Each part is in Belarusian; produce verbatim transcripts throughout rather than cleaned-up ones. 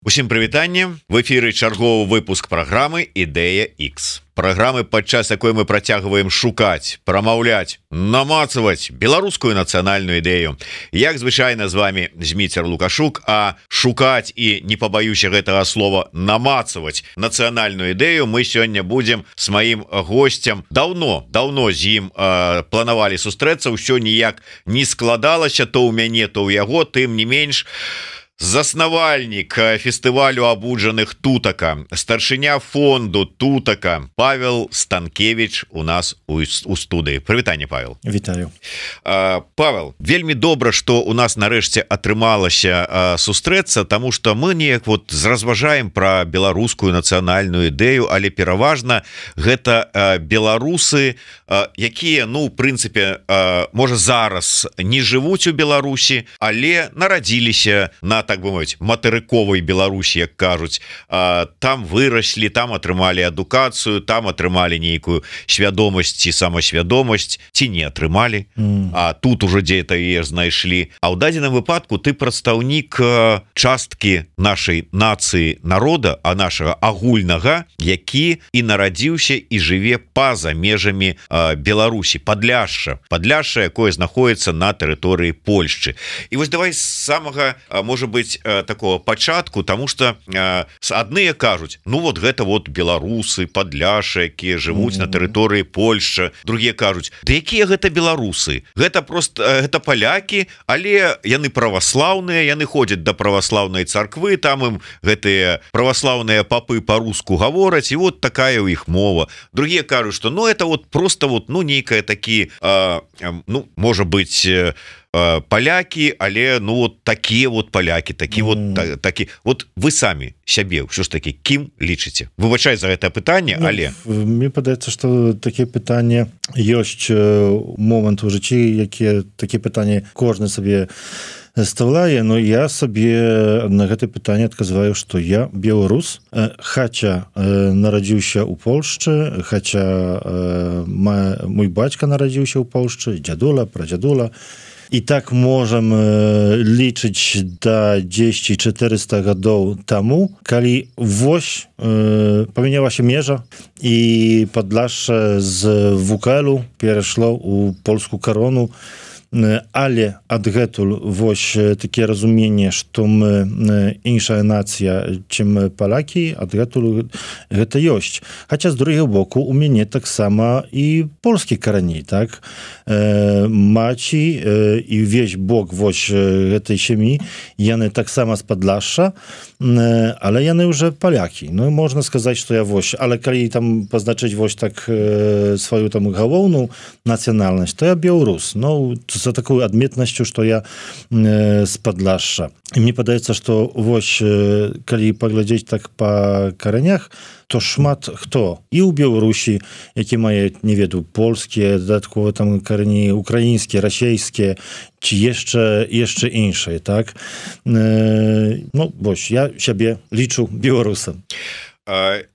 Усім прывітанне, в эфіры чарговы выпуск праграмы Ідэя X. Праграмы, падчас якой мы працягваем шукаць, прамаўляць, намацаваць беларускую нацыянальную ідэю. Як звычайна з вами Зміцер Лукашук, а шукаць і, не пабаюся гэтага слова, намацаваць нацыянальную ідэю мы сёння будзем с маім госцем. Даўно, даўно з ім э, планавалі сустрэцца, ўсё ніяк не складалася, то ў мяне, то ў яго, тым не менш. Заснавальнік фестывалю абуджаных тутака, старшыня фонду тутака Павел Станкевич у нас у, у студыі. Прывітанне, Павел. Вітаю. uh, Павел, вельмі добра, што у нас нарэшце атрымалася uh, сустрэцца, таму што мы неяк вот разважаем пра беларускую нацыянальную ідэю, але пераважна гэта uh, беларусы, uh, якія, ну, у прынцыпе, uh, можа зараз не жывуць у Беларусі, але нарадзіліся на, так бы мовіць, матэрыковай Беларусі, як кажуць, там выраслі, там атрымалі адукацыю, там атрымалі нейкую свядомасць ці самасвядомасць, ці не атрымалі, mm. а тут ужо дзе-то яе знайшлі. А ў дадзеным выпадку ты прадстаўнік часткі нашай нацыі, народа, а нашага агульнага, які і нарадзіўся і жыве па-за межамі Беларусі, Падляшша, Падляшша, якое знаходіцца на тэрыторыі Польшчы. І вось давай з самага, можа быць, такого пачатку, тому что э, адныя кажуць, ну вот гэта вот беларусы, Падляшша, якія жывуць mm -hmm. на тэрыторыі Польшчы, другія кажуць, да якія гэта беларусы, гэта просто гэта палякі, але яны праваслаўныя, яны ходзяць да праваслаўнай царквы, там ім гэтыя праваслаўныя папы па-руску гавораць, і вот такая ў іх мова. Другія кажуць, что ну это вот просто вот ну нейкая такі э, э, ну можа быть э, палякі, але ну вот такія вот палякі, такі mm. вот та, такі вот вы самі сябе ўсё ж такі кім лічыце? Выбачай за гэта пытанне, але ну, мне падаецца, што такія пытанні ёсць момант у жыцці, якія такія пытанні кожны сабе ставляе, но я сабе на гэта пытанне адказваю, што я беларус, хаця нарадзіўся ў Польшчы, хаця мой бацька нарадзіўся ў Польшчы, дзядула, прадзядула. І так можам лічыць да дзесяць чатырыста гадоў таму, калі вось э, памянялася межа і Падляшша з вэ ка элу перайшло ў польскую карону, але адгэтуль вось такія разуменне, што мы іншая нацыя, чым палякі, адгэтуль гэта ёсць. Хаця з другога боку у мяне таксама і польскі карані, так? Э, маці э, і ўвесь бок вось гэтай сям'і, яны таксама з Падляшша, э, але яны ўжо палякі. Ну, можна сказаць, што я вось, але калі там пазначыць вось так э, сваю там галоўную нацыянальнасць, то я беларус. Ну, за такую адметнасцю, што я э, з Падляшша. І мне падаецца, што вось, э, калі паглядзець так па каранях, то шмат хто і ў Беларусі, які мае, не ведаю, польскія, дадаткова там карані украінскія, расейскія, ці яшчэ, яшчэ іншыя, так? Э, ну, вось, я сябе лічу беларусам.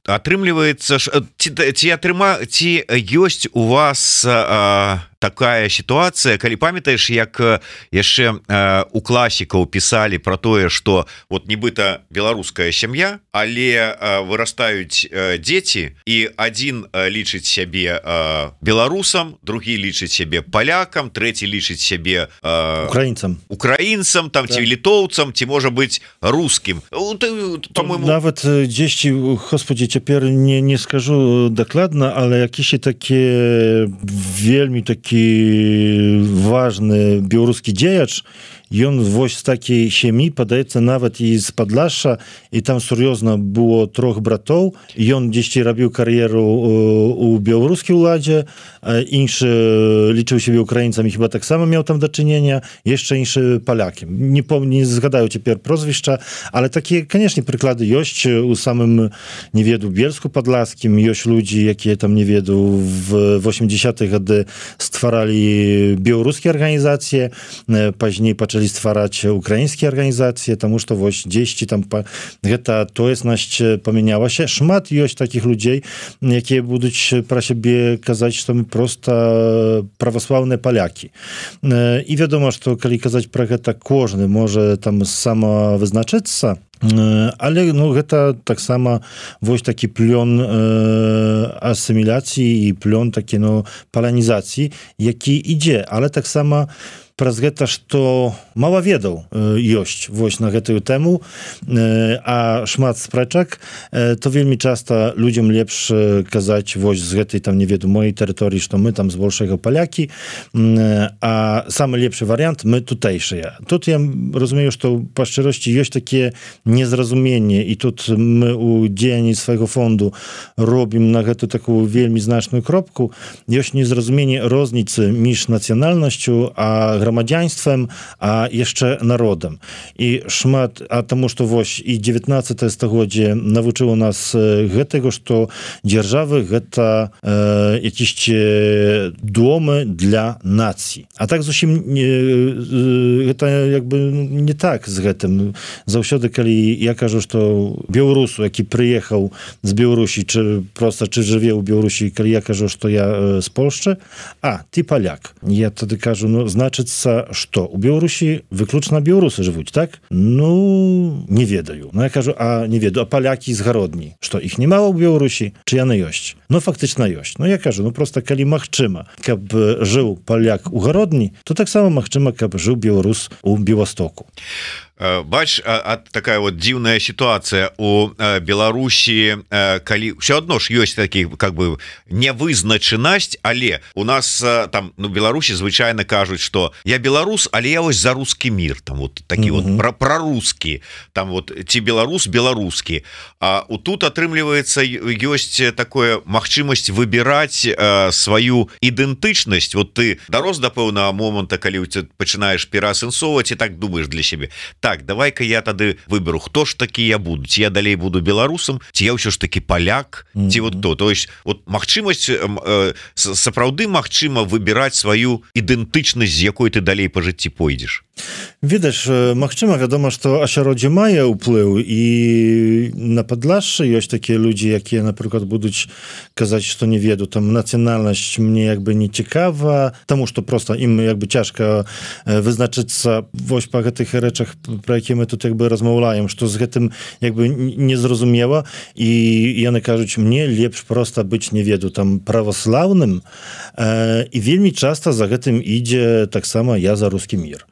Атрымліваецца, ці, ці атрыма, ці ёсць у вас а, такая сітуацыя, калі памятаеш, як яшчэ а, у класікаў пісалі пра тое, што вот нібыта беларуская сям'я, але а, вырастаюць а, дзеці, і адзін а, лічыць сябе а, беларусам, другі лічыць сябе палякам, трэці лічыць сябе а, украінцам, украінцам там, так. ці літоўцам, ці можа быць рускім. По-моему, нават дзесьці, господі, цяпер не, не скажу дакладна, але якісь такі вельмі такі важны беларускі дзеяч, ён вось з такій сям'і, падаецца, нават і з Падляшша, і там сур'ёзна было трох братоў, ён дзесьці рабіў кар'еру у беларускай уладзе, іншы лічыў сябе украінцамі, хіба таксама меў там дачынення, яшчэ іншы палякі. Не помню, не згадаю цяпер прозвішча, але такія, канешне, прыклады ёсць у самым, не веду, Бельску Падляскім, ёсць людзі, якія там, не веду, в восьмідзесятыя гады стваралі беларускія арганізацыі, пазней пачалі ствараць украінскія арганізацыі, таму што вось дзесьці там па... гэта тоеснасць памянялася. Шмат ёсць такіх людзей, якія будуць пра сябе казаць, што мы проста праваслаўныя палякі. І вядома, што калі казаць пра гэта, кожны можа там самавызначыцца, ale no, гэта таксама вось такі плён э, асіміляцыі і плён такі ну, паланізацыі, які ідзе, але таксама праз гэта, што мала ведаў ёсць вось на гэтую тэму, а шмат спрэчак, то вельмі часта людзям лепш казаць вось з гэтай там не веду моей тэрыторыі, што мы там збольшага палякі, а самы лепшы варыянт мы тутэйшыя. Тут я разумею, што па шчыросці ёсць такія незразуменні, і тут мы у дзеянні свайго фонду робім на гэту такую вельмі значную кропку. Ёсць незразуменне розніцы між нацыянальнасцю, а грамадзянствам, а яшчэ народам. І шмат, а таму што вось і дзевятнаццатае стагоддзе навучыла нас гэтага, што дзяржавы гэта э, якісь домы для нацый. А так зусім не, гэта як бы не так з гэтым. Заўсёды, калі я кажу, што беларусу, які прыехаў з Беларусі, чи проста чи жыве ў Беларусі, калі я кажу, што я з Польшчы, а, ты паляк. Я тады кажу, ну, значыць, што у Беларусі выключна беларусы жывуць, так? Ну, не ведаю. Ну, я кажу, а не ведаю, а палякі з гародні, што іх не мала ў Беларусі, чи яны ёсць? Ну, фактычна ёсць. Ну, я кажу, ну, просто калі магчыма, каб жыў паляк у гародні, то таксама магчыма, каб жыў беларус у Беластоку. Бач, а, а такая вот дзіўная сітуацыя у Беларусі, калі все адно ж ёсць такі как бы невызначанасць, але у нас там ну Беларусі звычайна кажуць, што я беларус, але я вось за рускі мір, там вот такі mm -hmm. вот пра, прарускі, там вот ці беларус беларускі. А у тут атрымліваецца ёсць такое магчымасць выбіраць э, сваю ідэнтычнасць. Вот ты дарос да пэўнага моманта, калі ты пачынаеш пераасэнсоўваць і так думаеш для сябе. Так, давай-ка я тады выберу, хто ж такі я буду, ці я далей буду беларусам, ці я ўсё ж такі паляк, ці mm -hmm. вот то, то есть вот магчымасць э, сапраўды магчыма выбіраць сваю ідэнтычнасць, з якой ты далей па жыцці пойдзеш. Відаць, магчыма, вядома, што асяроддзе мае ўплыў, і на Падлашшы ёсць такія людзі, якія, напрыклад, будуць казаць, што не веду, там нацыянальнасць мне як бы не цікава, таму што просто ім як бы цяжка вызначыцца вось па гэтых рэчах, пра які мы тут як бы размаўляем, што з гэтым як бы незразумела, і яны кажуць, мне лепш проста быць не веду там праваслаўным, і вельмі часта за гэтым ідзе таксама я за рускі мір.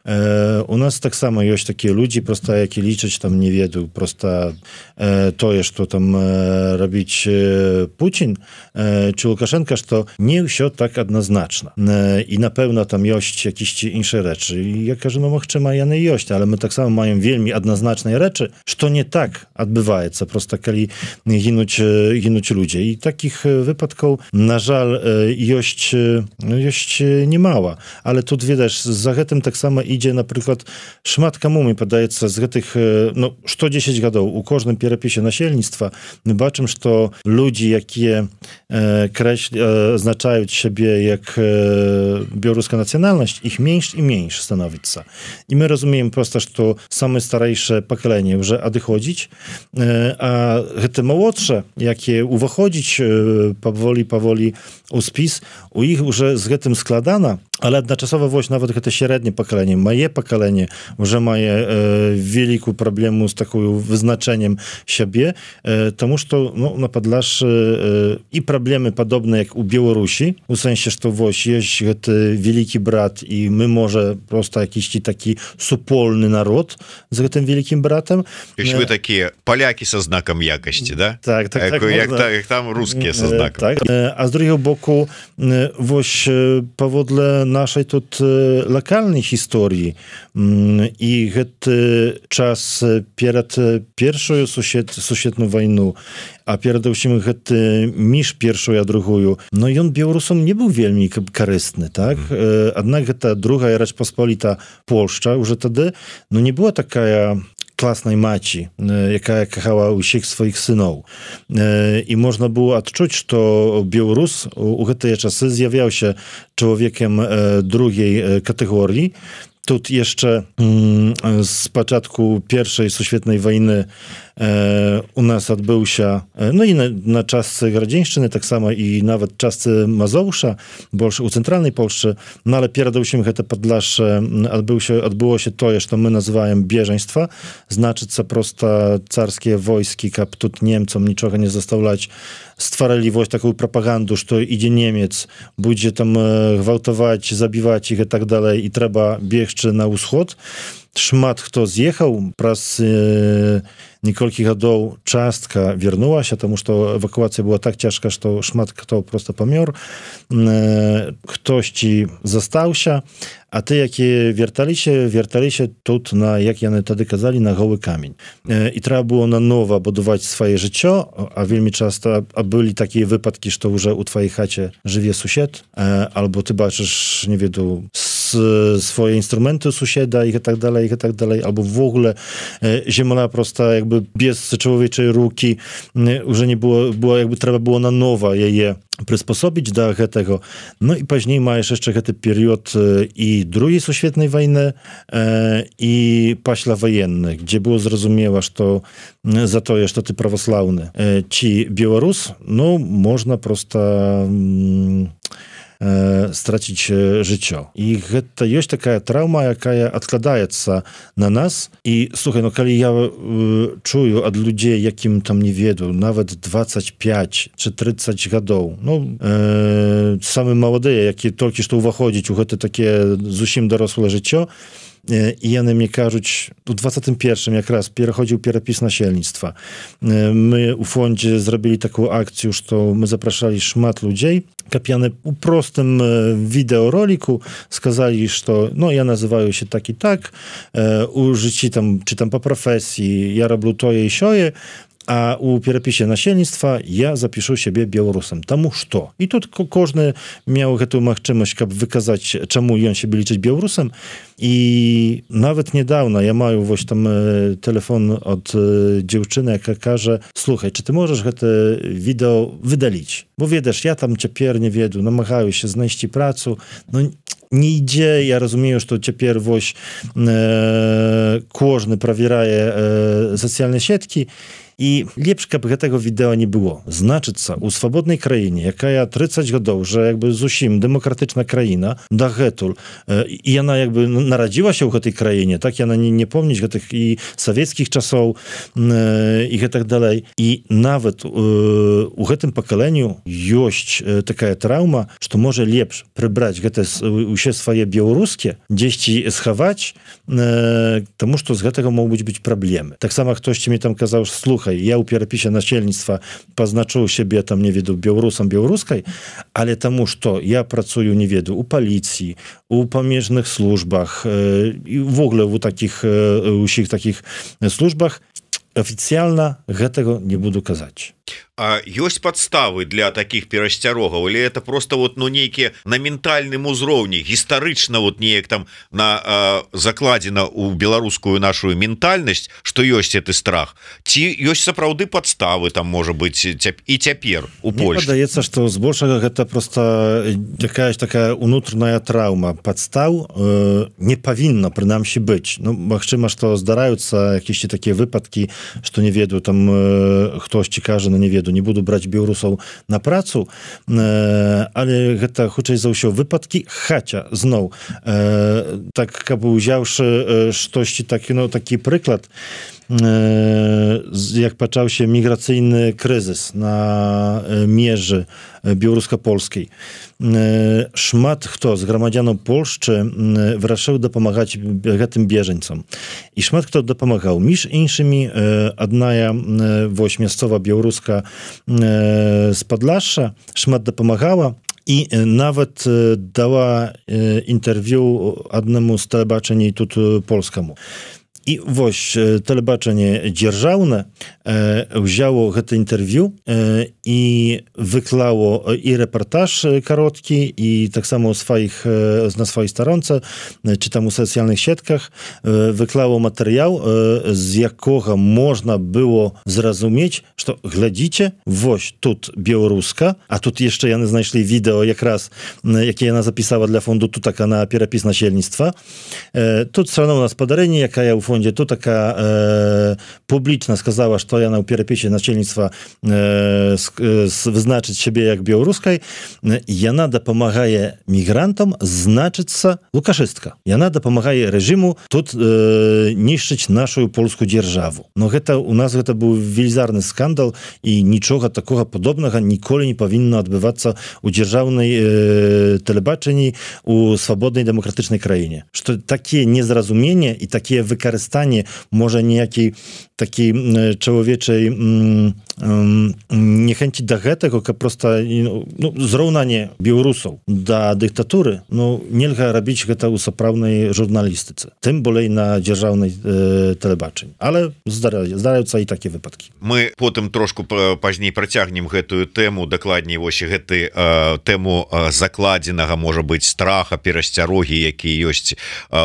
У нас таксама ёсць такія людзі, просто які лічаць там не ведаю, просто э, тое, што там э, рабіць э, Пуцін э, чи Лукашенко, што не ўсё так адназначна. Э, і напэўна там ёсць якісь іншыя рэчы. І я кажу, ну магчыма, яны ёсць, але мы таксама маем вельмі адназначныя рэчы, што не так адбываецца, просто калі гінуць, гінуць людзі. І такіх выпадкаў, на жаль, ёсць, ёсць немала. Але тут, відаць, за гэтым таксама ідзе, напрыклад, шмат каму, мне падаецца, з гэтых, ну, што дзесяць гадоў у кожным перапісе насельніцтва мы бачым, што людзі, якія э, крэч, э, азначаюць сябе як э, беларуская нацыянальнасць, іх менш і менш становіцца. І мы разумеем просто, што самае старэйшае пакаленне ўжо адыходзіць, э, а гэта малодшае, якія ўваходзіць э, паволі, паволі у спіс, у іх уже з гэтым складана, але адначасова вось нават гэта сярэдняе пакаленне, мае пакаленне уже мае э, вялікую праблему з такою вызначэннем сябе, э, таму што ну, на Падлашшы э, і праблемы падобныя як у Беларусі, у сэнсе, што вось ёсць гэты вялікі брат, і мы можа проста якісьці такі супольны народ з гэтым вялікім братам. Ёсць вы такія палякі са знакам якасці, да? Так, так, як, так. Як, як, як там рускія са знакам. Так. А з другого боку, вось паводле нашай тут лакальнай гісторыі і гэты час перад першую сусед, сусветную вайну, а перадусім гэты між першую а другую, но ён беларусам не быў вельмі карысны, так? Mm. Аднак гэта другая Рэч Паспаліта Польшча уже тады, ну не была такая класнай маці, якая кахала ўсіх сваіх сыноў. І можна было адчуць, што беларус у гэтыя часы з'яўляўся чалавекам другой катэгорыі, тут jeszcze mm, z początku pierwszej Świetnej wojny e, u nas odbył się, e, no i na, na czasce Grodzieńszczyny, tak samo i nawet czasce Mazowsza, bo już u centralnej Polsce, no ale pierdolsimy te Podlasze, odbył się, odbyło się to, co my nazywamy bieżeństwa, znaczy co prosto carskie wojski, kap тут Niemcom niczego nie zostawiać, stwarali właśnie taką propagandę, że idzie Niemiec, będzie tam gwałtować, zabiwać ich i tak dalej i trzeba biegć na wschód. Szmat kto zjechał, pras e, niekolkich годов частка вернулась, потому что эвакуация была так ciężka, że szmat kto prosto pomiór. E, ktoś ci zostałся, a ty jakie wiertali się, wiertali się тут na, jak ja wtedy kazali, na goły kamień. E, I trzeba było na nowo budować swoje życie, a wielmi często a byli takie wypadki, że już u twojej chacie żyje sąsiad, e, albo ty baczysz, nie wiem, swoje instrumenty sąsiada i tak dalej, i tak dalej, albo w ogóle e, ziemia prosta jakby bez człowieczej ruki, e, już nie było, było, jakby trzeba było na nowo je przysposobić do tego. No i później masz jeszcze ten period e, i drugiej Świetnej wojny e, i paślawojenny, gdzie było zrozumiałe, że to e, za to, że ty prawosławny. E, ci Białorus, no można prosto mm, stracić życie. I to jest taka trauma, jaka odkładaje się na nas. I słuchaj, no kiedy ja y, czuję od ludzi, jakim tam nie wiedzą, nawet dwadzieścia pięć czy trzydzieści годов, no e, same młode, jakie tylko że uwachodzić, to takie zusim dorosłe życie, i one mi кажą, w dwudziestym pierwszym jak raz przechodził przepis nasielnictwa. My u fondzie zrobili taką akcję, że my zapraszali szmat ludzi, kapiane u prostym wideoroliku, skazali, że no ja nazywają się tak i tak, u życi tam, czy tam po profesji, ja robię to i sioje, a u przepisie nasielnictwa ja zapiszę siebie Białorusem. Tamu što. I tu każdy miał tę możliwość, aby wykazać, czemu on się liczyć Białorusem. I nawet niedawno ja mam właśnie tam telefon od dziewczyny, jaka każe, słuchaj, czy ty możesz te wideo wydalić? Bo wiedziesz, ja tam ciepiernie nie wiedu, namagają się znaleźć pracę, no nie idzie, ja rozumiem, że to ciepер właśnie e, każdy prawieraje e, socjalne sieci. I lepsze, aby tego wideo nie było. Znaczy co, u swobodnej krainie, jaka ja trzydzieści годов, że jakby zusim demokratyczna kraina, da getul, e, i ona jakby narodziła się u tej krainie, tak? Ja na nie, nie pomnieć tych i sowieckich czasów e, i tak dalej. I nawet e, u tym pokoleniu jest e, taka trauma, że może lepsze przybrać te u się swoje białoruskie, gdzieś ci schować, e, тому że z tego mogą być, być problemy. Tak samo ktoś mi tam kazał, słuchaj, ja u przepisie nasielnictwa poznaczył siebie tam, nie wiedu, Białorusem, białoruskiej, ale тому, że ja pracuję, nie wiedu, u policji, u pomierzchnych służbach i w ogóle u takich, u wszystkich takich służbach, oficjalna, tego nie буду казać. А ёсць падставы для таких перасцярогаў, или это просто вот ну нейкія на ментальным узроўні гістарычна вот неяк там на э, закладзена у беларускую нашу ментальнасць, што ёсць гэты страх, ці ёсць сапраўды падставы там можа быць цяп... і цяпер у Польшчы? Мне падаецца, што збольшага гэта просто якаясь такая унутраная траўма. Падстаў э, не павінна прынамсі быць. Ну магчыма, што здараюцца якісь такія выпадкі, што не ведаю там э, хтосьці кажа, на не веду, не буду браць беларусаў на працу, э, але гэта хутчэй за ўсё выпадкі, хаця зноў э, так каб узяўшы э, штосьці такі, ну, такі прыклад, э, як пачаўся міграцыйны крызіс на э, межы białorusko-polskiej. Szmat kto z громадянаў Польшчы wyraszył dopomagać tym bieżeńcom. I szmat kto dopomagał. Między innymi jedna miejscowa białoruska z Podlasza szmat dopomagała i nawet dała interwiu jednemu z telebaczeń tu polskiemu. І вось тэлебачанне дзяржаўнае ўзяло гэта інтэрв'ю і выклало і рэпартаж кароткі і таксама у сваіх на сваёй старонцы ці там у сацыяльных сетках выклало матэрыял, з якога можна было зразумець, што глядзіце, вось тут беларуска, а тут яшчэ яны знайшлі відэо якраз, які яна запісала для фонду Тутака на перапіс насельніцтва. Тут все равно у нас падарэнне, якая ў фонде Тутака э, публічна сказала, што яна ў перапісе насельніцтва э, вызначыць сябе як беларускай. Яна дапамагае мігрантам значыцца лукашыстка. Яна дапамагае рэжыму тут э, нішчыць нашу польскую дзяржаву. Но гэта у нас гэта быў велізарны скандал і нічога такога падобнага ніколі не павінна адбывацца ў дзяржаўнай э, тэлебачанні у свабоднай дэмакратычнай краіне. Што такія незразумення і такія выкарыстанні можа ніякі такі чалавечай нехэнці да гэтага, каб проста ну, зраўнанне беларусаў да дыктатуры, ну, нельга рабіць гэта ў сапраўднай журналістыцы, тым болей на дзяржаўнай э, тэлебачанні. Але здараюцца і такія выпадкі. Мы потым трошку пазней працягнем гэтую тэму, дакладней вось гэты э, тэму э, закладзенага, можа быць, страха, перасцярогі, які ёсць э,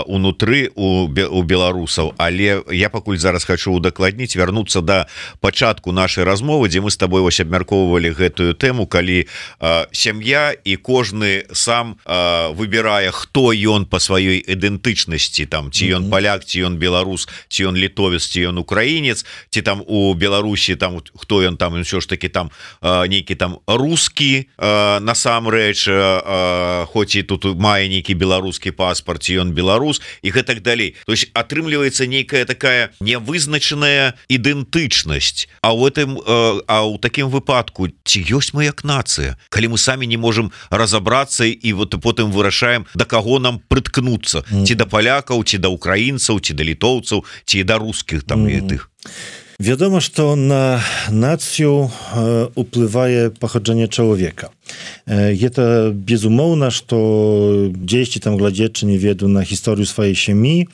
унутры у, у беларусаў, але я пакуль зараз хачу удакладніць, вярнуцца да пачатку нашай размовы, дзе мы з табой вось абмяркоўвалі гэтую тэму, калі э, сям'я і кожны сам э, выбірае, хто ён па сваёй ідэнтычнасці, там ці ён паляк, ці ён беларус, ці ён літовец, ці ён украінец, ці там у Беларусі там хто ён там, ўсё ж таки там э, нейкі там рускі э, насамрэч, э, хоць і тут мае нейкі беларускі паспарт, ці ён беларус і гэтак далей. То есть атрымліваецца нейкая такая нявызначаная ідэнтычнасць. А ў этом э, а ў такім выпадку ці ёсць мы як нацыя, калі мы самі не можам разабрацца і вот потым вырашаем, да каго нам прыткнуцца, mm. ці да палякаў, ці да украінцаў, ці да літоўцаў, ці да рускіх там mm. і тых. Вядома, што на нацыю э, уплывае паходжанне чалавека. Гэта безумоўна, што дзесьці там глядзячы не веду на гісторыю сваёй сям'і,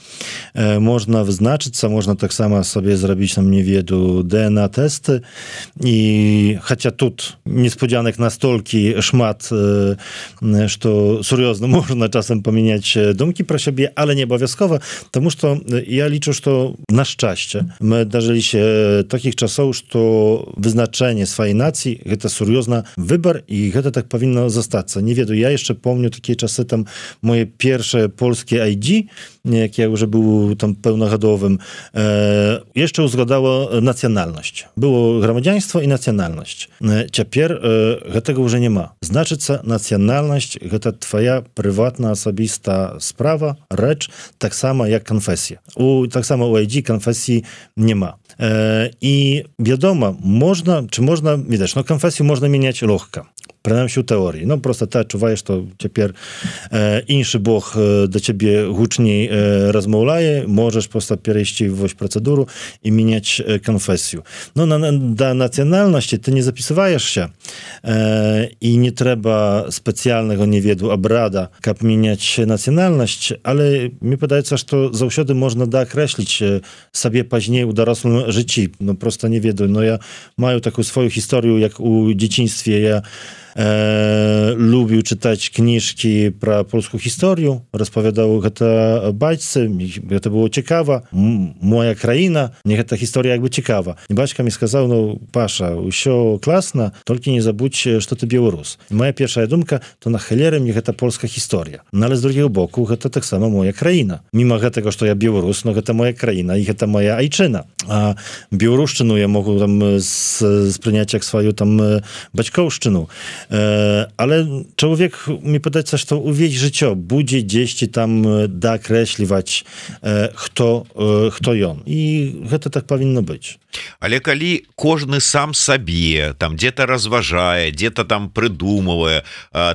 можна вызначыцца, можна таксама сабе зрабіць нам не веду дэ эн а-тэсты, і хаця тут неспадзянак настолькі шмат, што сур'ёзна можна часам памяняць думкі пра сябе, але не абавязкова, таму што я лічу, што на шчасце мы дажыліся такіх часоў, што вызначэнне сваёй нацыі гэта сур'ёзна выбар, і гэта гэта так павінна застацца. Не ведаю, я яшчэ помню такія часы, там моje першае польскі ай ді, як я уже быў там пэўнагадовым, э, яшчэ ўзгадала нацыянальнасць. Было грамадзянства і нацыянальнасць. Цяпер э, гэтага ўжо няма. Значыцца, нацыянальнасць гэта твая прыватна асабіста справа, рэч, таксама як канфесія. У таксама у ай ді канфесіі няма. Э, і вядома, можна, чи можна, відаць, но канфесію можна мяняць лёгка. Прынамсі ў тэорыі. Ну, проста ты адчуваеш, што цяпер э, іншы бог э, да цябе гучней э, размаўляе, можаш проста перайсці вось працэдуру і мяняць э, канфесію. Ну, на, да нацыянальнасці ты не запісываешся, э, і не трэба спецыяльнага, не веду, абрада, каб мяняць нацыянальнасць, але мне падаецца, што заўсёды можна даакрэсліць сабе пазней у дарослым жыцці. Ну, проста не ведаю, но я маю такую сваю гісторыю, як у дзяцінстве я Э, lubił czytać kniżki про polską historię, rozpowiadał гэта бацьцы, гэта było ciekawa, M- moja kraina, niech ta historia jakby ciekawa. I baćka mi сказал, no Pasza, усё класна, только nie забудź, что ty Białorus. I moja pierwsza dumka, to na cholerę mnie гэта polska historia. No ale z drugiego boku, гэта tak samo moja kraina. Mimo tego, że ja Białorus, no гэта moja kraina i гэта moja ojczyna. A Białoruszczynu ja mogę tam spryniać jak swoją tam baćkołszczynu. Ale człowiek, mi podaється, що увесь життя буде десь там доокреслювати, хто, хто ён. І гэта так повинно бути. Але калі кожны сам сабе там где-то разважае, где-то там прыдумывае,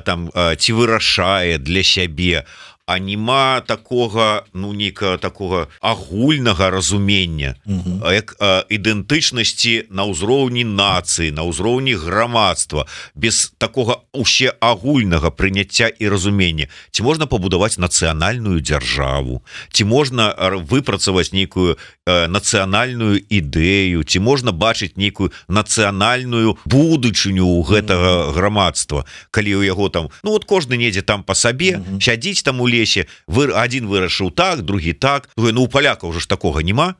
там ці вырашае для сябе, а нема такога ну нейкага такога агульнага разумення Мгм. як ідэнтычнасці на ўзроўні нацыі, на ўзроўні грамадства, без такога уще агульнага прыняцця і разумення. Ці можна пабудаваць нацыянальную дзяржаву, ці можна выпрацаваць нейкую нацыянальную ідэю, ці можна бачыць нейкую нацыянальную будучыню ў гэтага грамадства, калі ў яго там ну вот кожны недзе там па сабе mm-hmm. сядзіць там у лесе, вы адзін вырашыў так, другі так. Ну у палякаў уже ж такога нема.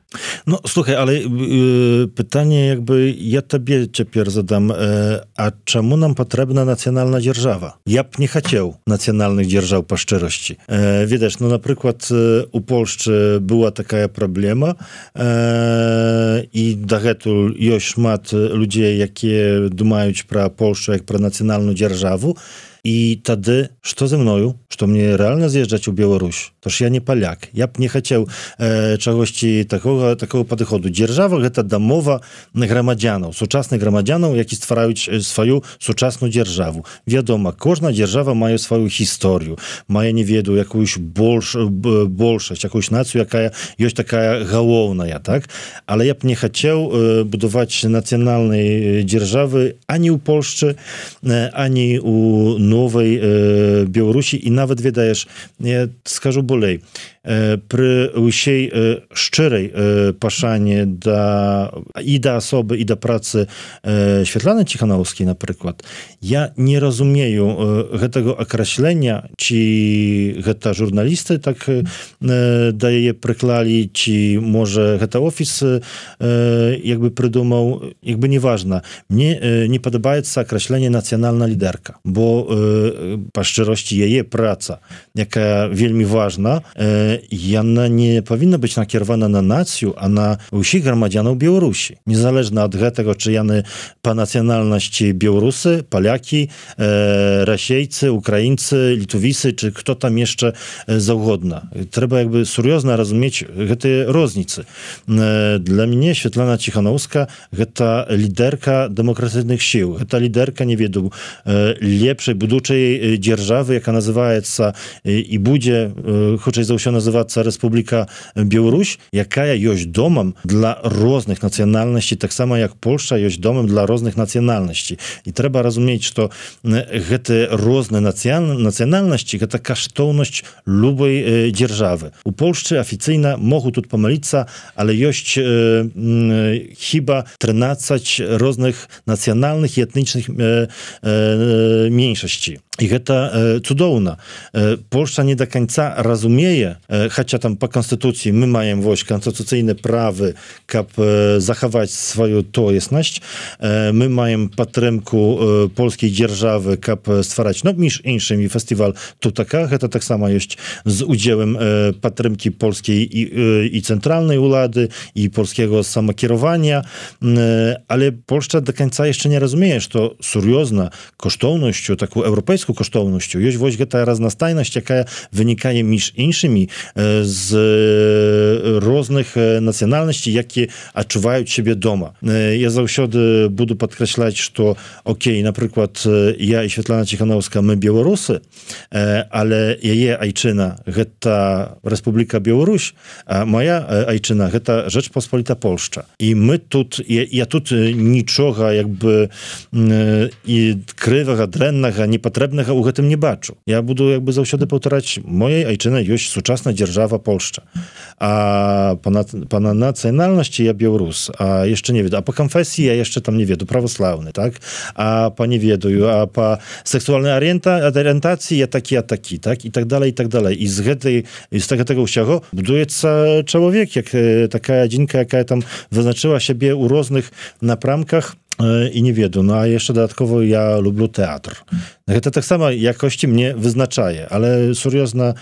Ну слухай, але э, пытанне якби я табе цяпер задам, э, а чаму нам патрэбна нацыянальная дзяржава? Я б не хацеў нацыянальных дзяржаў па шчырасці. Э, ведаеш, ну напрыклад у Польшчы была такая праблема, э, і дагэтуль ёсць шмат людзей, якія думаюць пра Польшчу як пра нацыянальную дзяржаву. І тады, што за мною? Што мне рэальна з'язджаць у Беларусь? Тож я не паляк. Я б не хацеў э, чагосьці такога, такого падыходу. Дзяржава – гэта дамова грамадзянаў, сучасных грамадзянаў, які ствараюць сваю сучасную дзяржаву. Вядома, кожная дзяржава мае сваю гісторыю, мае, не ведаю, якуюсь больш, большасць, якуюсь нацыю, якая ёсць такая галоўная, так? Але я б не хацеў э, будаваць нацыянальнай дзяржавы ані ў Польшчы, э, ані у новой э, Беларусі і нават ведаеш, я скажу болей, э, пры ўсей э, шчырай э, пашане да, і да асобы, і да працы э, Святланы Ціханаўскай, напрыклад, я не разумею э, гэтага акраслення, ці гэта журналісты так э, да яе прыклалі, ці можа гэта офіс э, як бы прыдумаў, як бы неважна. Мне э, не падабаецца акрасленне нацыянальная лідэрка, бо па шчыросці яе праца, якая вельмі важна, яна не павінна быць накіравана на нацыю, а на ўсіх грамадзянаў Беларусі. Незалежна ад гэтага, чи яны па нацыянальнасці беларусы, палякі, расейцы, украінцы, літувісы, чи хто там яшчэ заўгодна. Трэба як бы сур'ёзна разумець гэтыя розніцы. Для мяне Святлана Ціханаўская гэта лідэрка дэмакратычных сіл. Гэта лідэрка, не ведаю, лепшай будучай дзяржавы, яка называецца і будзе, хутчэй за ўсё называцца Рэспубліка Беларусь, якая ёсць домам для розных нацыянальнасцей, таксама як Польшча ёсць домам для розных нацыянальнасцей. І трэба разумець, што гэтыя розныя нацыянальнасці гэта каштоўнасць любой дзяржавы. У Польшчы афіцыйна могуць тут памыліцца, але ёсць хіба трынаццаць розных нацыянальных і этнічных меншасцей. І гэта э, цудоўна. Э, Польшча не до канца разумее, э, хаця там па канстытуцыі мы маем вось канстытуцыйныя правы, каб э, захаваць сваю тоеснасць. Э, мы маем падтрымку э, польскай дзяржавы, каб ствараць, ну, між іншымі фестываль Тутака, гэта таксама ёсць з удзелам э, падтрымкі польскай і, э, і цэнтральнай улады, і польскага самакіравання. Э, але Польшча до канца яшчэ не разумее, што сур'ёзна каштоўнасцю такую еўрапейскую каштоўнасцю ёсць вось гэтая разнастайнасць, якая вынікае між іншымі з розных нацыянальнасцей, які адчуваюць сябе дома. Я заўсёды буду падкрэсляць, што окей, напрыклад, я і Святлана Ціханаўская, мы беларусы, але яе айчына гэта Рэспубліка Беларусь, а моя айчына гэта Rzeczpospolita Польшча. І мы тут, я, я тут нічога як бы і крывага, дрэннага, непатрэбнага ў гэтым не бачу. Я буду як бы заўсёды паўтараць, моей айчына ёсць сучасная дзяржава Польшча. А па, па нацыянальнасці я беларус, а яшчэ не веду. А па канфесіі я яшчэ там не веду, праваслаўны, так? А па не ведаю, а па сексуальнай арыентацыі я такі, а такі, так? І так далей, і так далей. І з гэтай, з гэтага ўсяго будуецца чалавек, як такая адзінка, якая там вызначыла сябе ў розных напрамках, і не веду, ну а яшчэ дадаткова я люблю тэатр. Гэта таксама якосці мне вызначае, але сур'ёзна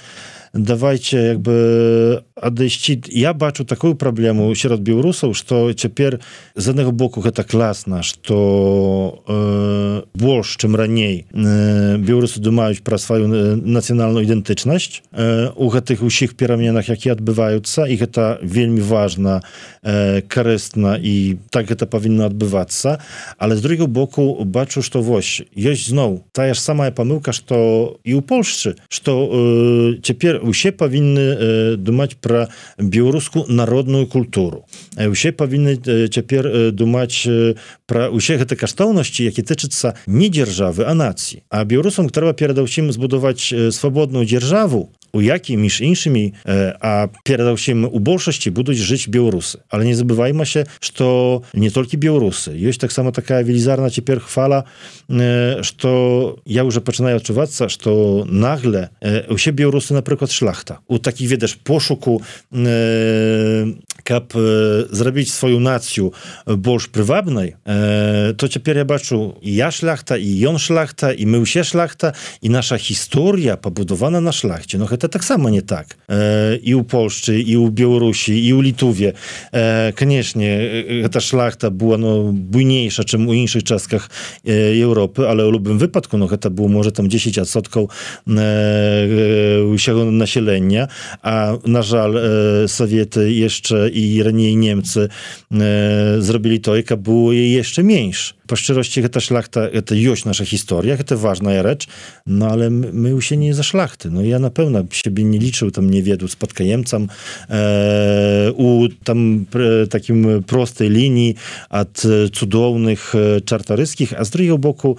давайте якby адысці я бачу такую праблему сярод беларусаў, што цяпер з аднаго боку гэта класна, што э, больш чым раней э, беларусы думаюць пра сваю нацыянальную ідэнтычнасць э, у гэтых усіх пераменах, якія адбываюцца, і гэта вельмі важна, э, карысна, і так гэта павінна адбывацца. Але з другого боку бачу, што вось ёсць зноў тая ж самая памылка, што і ў Польшчы, што э, цяпер усе павінны э, думаць пра беларускую народную культуру. Э, усе павінны э, цяпер э, думаць э, пра усе гэты каштоўнасці, які тычыцца не дзяржавы, а нацыі. А беларусам трэба перадусім збудаваць э, свабодную дзяржаву, у якій між іншымі, э, а перадусім у большасці будуць жыць беларусы. Але не забываймася, што не толькі беларусы. Ёсць таксама такая велізарная цяпер хвала, э, што я ўжо пачынаю адчувацца, што нагле э, усе беларусы, напрыклад, шляхта. У такіх, ведаш, пошуку, э, каб э, зрабіць сваю нацыю больш прывабнай, э, то цяпер я бачу, і я шляхта, і ён шляхта, і мы ўсе шляхта, і наша гісторыя пабудавана на шляхце. Но гэта таксама не так. Э, і ў Польшчы, і ў Беларусі, і ў Літуве. Э, канешне, гэта шляхта была ну, буйнейша, чым у іншых частках э, Еўропы, але ў любым выпадку ну, гэта было, можа, там дзесяць адсоткаў э, ўсяго насялення, а, на жаль, э, Саветы яшчэ і раней немцы э, зрабілі тое, каб было яшчэ менш. Па шчыросці, гэта шляхта, гэта ёсць наша гісторыя, гэта важная рэч, no ale my, my ўсе не за шляхты. No ja na pewno siebie nie liczył, tam nie wiedł spadkajemcem e, u tam pr, takim prostej linii od cudownych czartoryskich, a z drugiego boku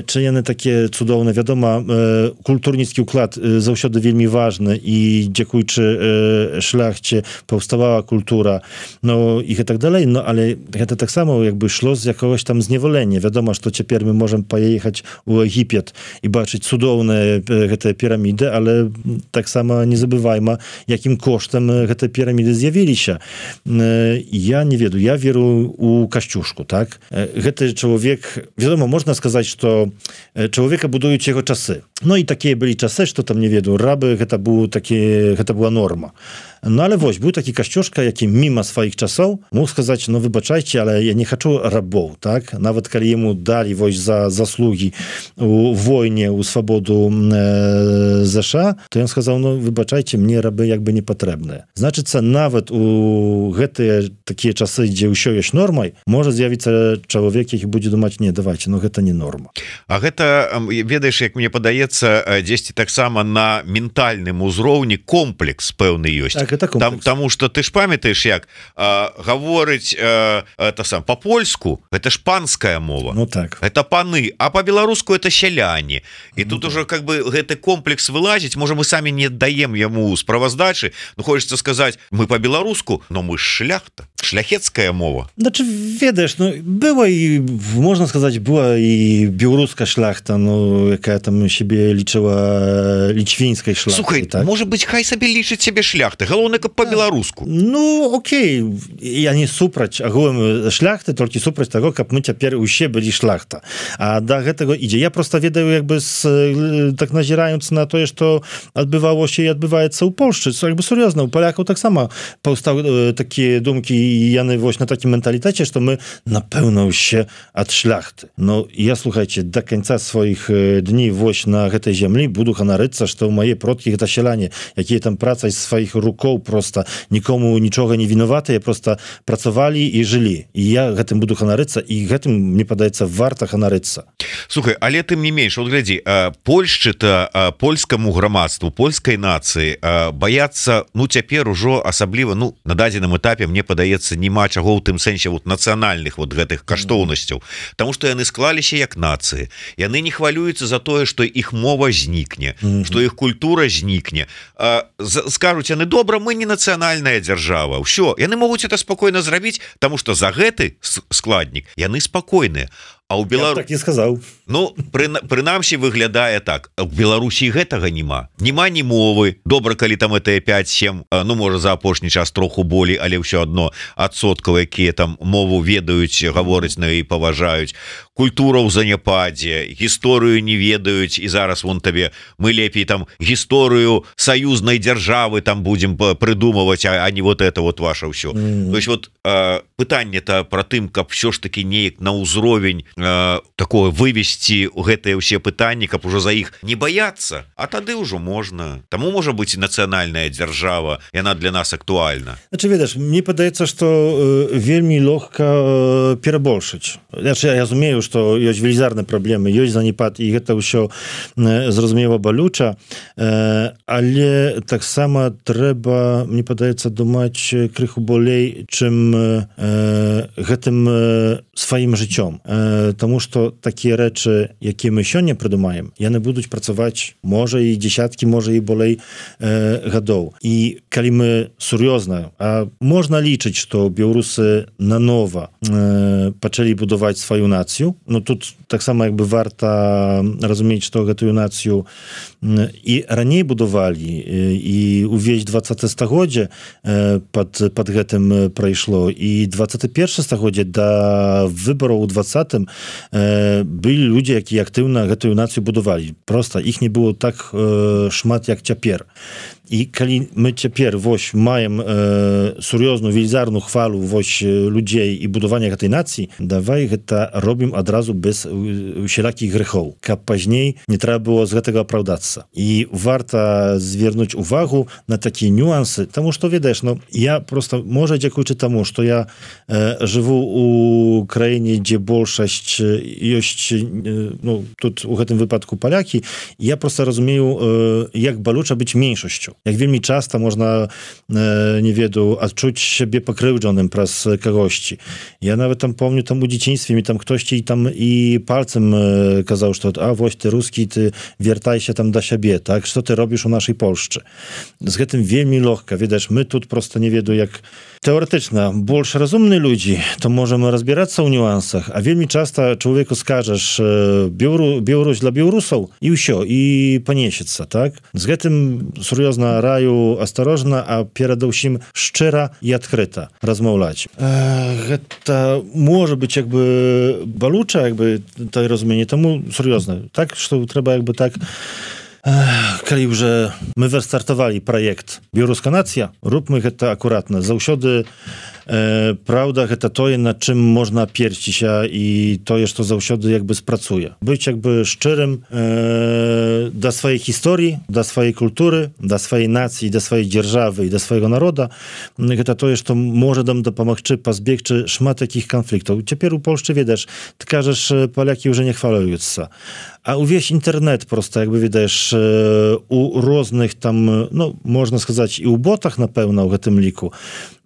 czy яны такія цудоўныя, вядома, культурніцкі ўклад заўсёды вельмі важны, і дзякуючы шляхце паўставала культура, ну і так далей, no ale гэта таксама jakby шло з якогось там зневолення. Вядома, што цяпер мы можам паехаць у Егіпет і бачыць цудоўныя гэтыя піраміды, але таксама не забывайма, якім коштам гэтыя піраміды з'явіліся. Я не ведаю, я веру у Касцюшку, так? Гэты чалавек, вядома, можна сказаць, што чалавека будуюць яго часы. Ну і такія былі часы, што там, не ведаю, рабы, гэта, быў такі, гэта была норма. Ну, але вось, быў такі Касцюшка, які міма сваіх часоў мог сказаць, ну, выбачайце, але я не хачу рабоў, так? Нават калі яму далі вось за заслугі у войне, у свабоду э, ЗША, то ён сказаў, ну, выбачайце, мне рабы як бы не патрэбныя. Значыцца, нават у гэтыя такія часы, дзе ўсё ёсць нормай, можа з'явіцца чалавек, які будзе думаць, не, давайте, ну, гэта не норма. А гэта, ведаеш, як мне падаецца, дзесьці таксама на ментальным узроўні комплекс пэўны ёсць. Так, Там, таму што ты ж памятаеш, як а, гаворыць а, это сам па-польску, гэта ж панская мова. Ну так. Это паны, а па-беларуску это сяляне. І ну, тут так. Уже как бы гэты комплекс вылазіць, можа мы самі не даем яму справаздачы, ну хочется сказаць, мы па-беларуску, но мы ж шляхта, шляхецкая мова. Значи, ведаеш, ну была і, можна сказаць, была і беларуская шляхта, ну якая там себе лічыла лічвінскай шляхтай. Слухай, так? Можа быць, хай сабе лічыць себе шляхты, галоўнае, каб па-беларуску. Ну, окей, я не супраць агулам шляхты, толькі супраць таго, каб мы цяпер усе былі шляхта. А да гэтага ідзе. Я просто ведаю, як бы с, так назіраюцца на тое, што адбывалося і адбываецца ў Польшчы. Як бы сур'ёзна, у палякаў таксама паўстаў такія думкі, і яны вось на такім менталітэце, што мы, напэўна, усе ад шляхты. Ну, я, слухайце, да канца сваіх дні вось на гэтай зямлі буду ганарыцца, што ў мае продкі гэта сяляне, якія там працай сваіх рукоў просто нікому нічога не вінаватыя, просто працавалі і жылі. І я гэтым буду ганарыцца, і гэтым, мне падаецца, варта ганарыцца. Слухай, але тым не менш, вот глядзі, Польшчы-то польскаму грамадству, польскай нацыі баяцца, ну, цяпер ужо асабліва, ну, на дадзеным этапе, мне падаецца, няма чаго ў тым сэнсе вот нацыянальных вот гэтых каштоўнасцяў, таму што яны склаліся як нацыі. Яны не хвалююцца за тое, што іх мова знікне, mm-hmm. што іх культура знікне. Скажуць яны, добра, мы не нацыянальная дзяржава. Ўсё, яны могуць это спакойна зрабіць, таму што за гэты складнік яны спакойныя. а у Беларус так не сказаў. Ну пры... прынамсі выглядае так, у Беларусі гэтага няма няма ні мовы. Добра, калі там это пять-сем, ну можа за апошні час троху болей, але ўсё адно адсоткаў, якія там мову ведаюць, гавораць на і паважаюць. Культура ў заняпадзе, гісторыю не ведаюць, і зараз вон табе мы лепей там гісторыю саюзнай дзяржавы там будзем прыдумываць, а, а не вот это вот ваше ўсё. Mm-hmm. То есть вот э, пытанне-то пра тым, каб все ж таки неяк на ўзровень э, такое вывесці гэтыя ўсе пытанні, каб ужо за іх не баяцца, а тады ўжо можна. Таму можа быць і нацыянальная дзяржава, яна для нас актуальна. Значы, ведаеш, мне падаецца, што э, вельмі лёгка э, перабольшыць. Значы, я разумею, што ёсць велізарныя праблемы, ёсць занепад, і гэта ўсё э, зразумела балюча, э, але таксама трэба, мне падаецца, думаць крыху болей, чым э, гэтым э, сваім жыццём. Э, таму што такія рэчы, якія мы сёння прыдумаем, яны будуць працаваць, можа, і дзесяткі, можа, і болей э, гадоў. І калі мы сур'ёзна, а можна лічыць, што беларусы нанова э, пачалі будаваць сваю нацыю, ну тут таксама як бы варта разумець, што гэтую нацыю і раней будавалі, і увесь двадцатае стагоддзе пад, пад гэтым прайшло, і двадцатае першае стагоддзе да выбараў у двадцатым былі людзі, якія актыўна гэтую нацыю будавалі. Проста іх не было так шмат, як цяпер. І калі мы цяпер вось маем э, сур'ёзную велізарную хвалу вось людзей і будавання гэтай нацыі, давай гэта робім адразу без усялякіх грэхоў, каб пазней не трэба было з гэтага апраўдацца. І варта звярнуць увагу на такія нюансы, таму што, ведаеш, ну, я просто, можа, дзякуючы таму, што я э, жыву у краіне, дзе большасць ёсць, э, ну, тут у гэтым выпадку палякі, я просто разумею, э, як балюча быць меншасцю. Як вельмі часта можна, э, не ведаю, адчуць сябе пакрыўджаным праз кагосьці. Я нават там помню, там у дзяцінстве ми там хтосьці там і пальцем э, казаў, што а вось ты рускі, ты вяртайся там да сябе, так? Што ты робіш у нашай Польшчы? З гэтым вельмі лёгка. Ведаеш, мы тут просто не ведаю, як тэоретычна больш разумныя людзі, то можам разбірацца ў нюансах, а вельмі часта чалавеку скажаш Белару, Беларусь для беларусаў, і ўсё, і панесецца, так? З гэтым сур'ёзна раю асторожна, а перадусім шчыра і адкрыта размаўляць. Э, гэта можа быць як бы балюча, як бы тое разуменне, таму сур'ёзна. Так, што трэба як бы так, калі ўжо мы выстартавалі праект «Беларуска нацыя», робmy гэта акуратна. Заўсёды э, праўда, гэта тое, над чым можна аперціся, і тое, што заўсёды як бы спрацуе. Быць як бы шчырым э, да сваёй гісторыі, да сваёй культуры, да сваёй нацыі, да сваёй дзяржавы і да свайго народа. Гэта тое, што можа нам дапамагчы пазбегчы шмат такіх канфліктаў. Цяпер у Польшчы, ведаеш, ты кажаш, палякі ўжо не хвалююцца. А увесь інтэрнет просто, як бы, ведаеш, у розных там, ну, можна сказаць, і ў ботах, напэўна, у гэтым ліку,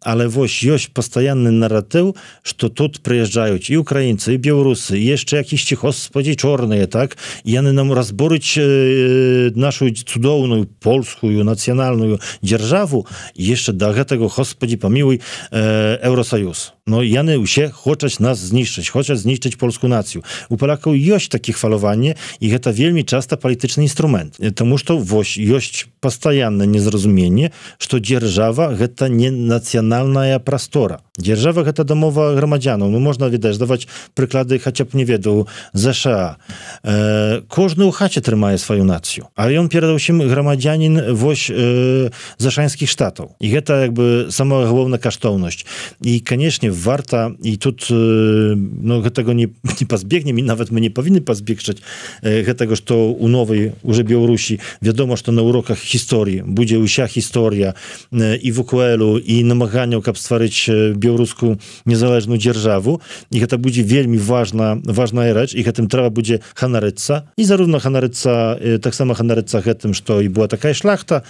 але вось ёсць пастаянны наратыў, што тут прыязджаюць і украінцы, і беларусы, і яшчэ якісьці, господі, чорныя, так? І яны нам разборуць э, нашу цудоўную польскую нацыянальную дзяржаву, і яшчэ да гэтага, господі, памілуй, э, Еўросаюз. No, яны ўсе хочуць нас знішчыць, хочуць знішчыць польскую нацыю. У палякаў ёсць такі хвалаванне, і гэта вельмі часта палітычны інструмент. Таму што вось ёсць пастаяннае незразуменне, што дзяржава гэта не нацыянальная прастора. Дзяржава гэта дамова грамадзянаў. Ну, можна, відаць, даваць прыклады хаця б, не ведаю, ЗША. Э, кожны ў хаце трымае сваю нацыю. А ён перадусім грамадзянін вось э, зашанскіх штатаў. І гэта як бы самая галоўная каштоўнасць. І, канешне, варта, і тут ну, гэтага не, не пазбегнем, і нават мы не павінны пазбегчаць гэтага, што ў новай уже Беларусі вядома, што на уроках гісторыі будзе ўся гісторыя і вэ ку элу, і намаганняў, каб стварыць беларускую незалежную дзяржаву, і гэта будзе вельмі важна, важная рэч, і гэтым трэба будзе ханарыцца, і зарówno ханарыцца, таксама ханарыцца гэтым, што і была такая шляхта,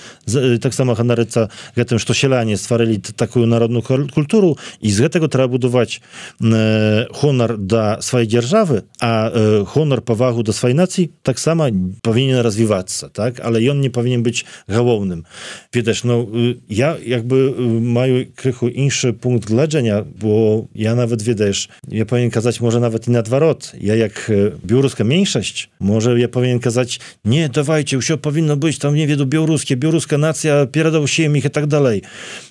таксама ханарыцца гэтым, што сяляне стварылі такую народную культуру, і з гэтага трэба будаваць гонар да сваёй дзяржавы, а гонар, павагу да сваёй нацыі таксама павінен развівацца, так, але ён не павінен быць галоўным. Ведаеш, ну я як бы маю крыху іншы пункт гледжання, бо я нават, ведаеш, я павінен казаць, можа нават і наадварот, я як беларуская меншасць, можа я павінен казаць, не, давайте, ўсё павінна быць там, не веду, беларускі, беларуская нацыя перад усім іх і так далей.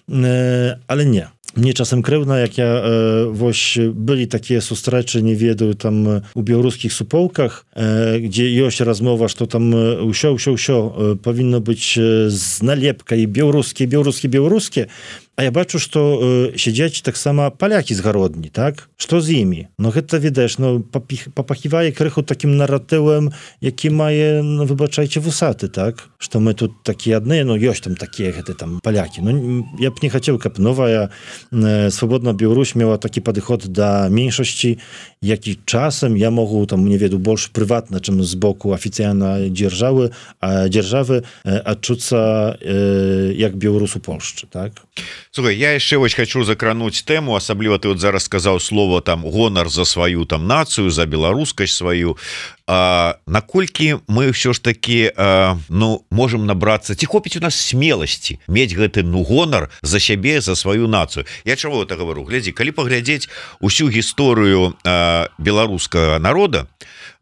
Але не. Мне часам крыўдна, як я э, вось былі такія сустрэчы, не ведаю, там у беларускіх суполках, э, дзе ёсць размова, што там ўсё ўсё ўсё павінна быць з налепкай беларускі беларускі беларускі. А я бачу, што э, сядзяць таксама палякі з гародні, так? Што з імі? Ну гэта, ведаеш, ну, папахівае крыху такім наратывам, які мае, ну, выбачайце, вусаты, так? Што мы тут такія адныя, ну, ёсць там такія гэты там палякі. Ну, я б не хацеў, каб новая э, свабодная Беларусь мела такі падыход да меншасці, які часам я могу, там, не веду, больш прыватна, чым з боку афіцыйна дзяржавы, а дзяржавы э, адчуцца э, як беларус у Польшчы, так? Слухай, я яшчэ вось хочу закрануць тэму, асабліва ты вот зараз сказаў слово там гонар за сваю там нацыю, за беларускасць сваю. А, наколькі мы ўсё ж таки а, ну можем набрацца, ці хопіць у нас смеласці мець гэты ну гонар за сябе, за сваю нацыю. Я чаго это говорю? Глядзі, калі паглядзець усю гісторыю а, беларускага народа,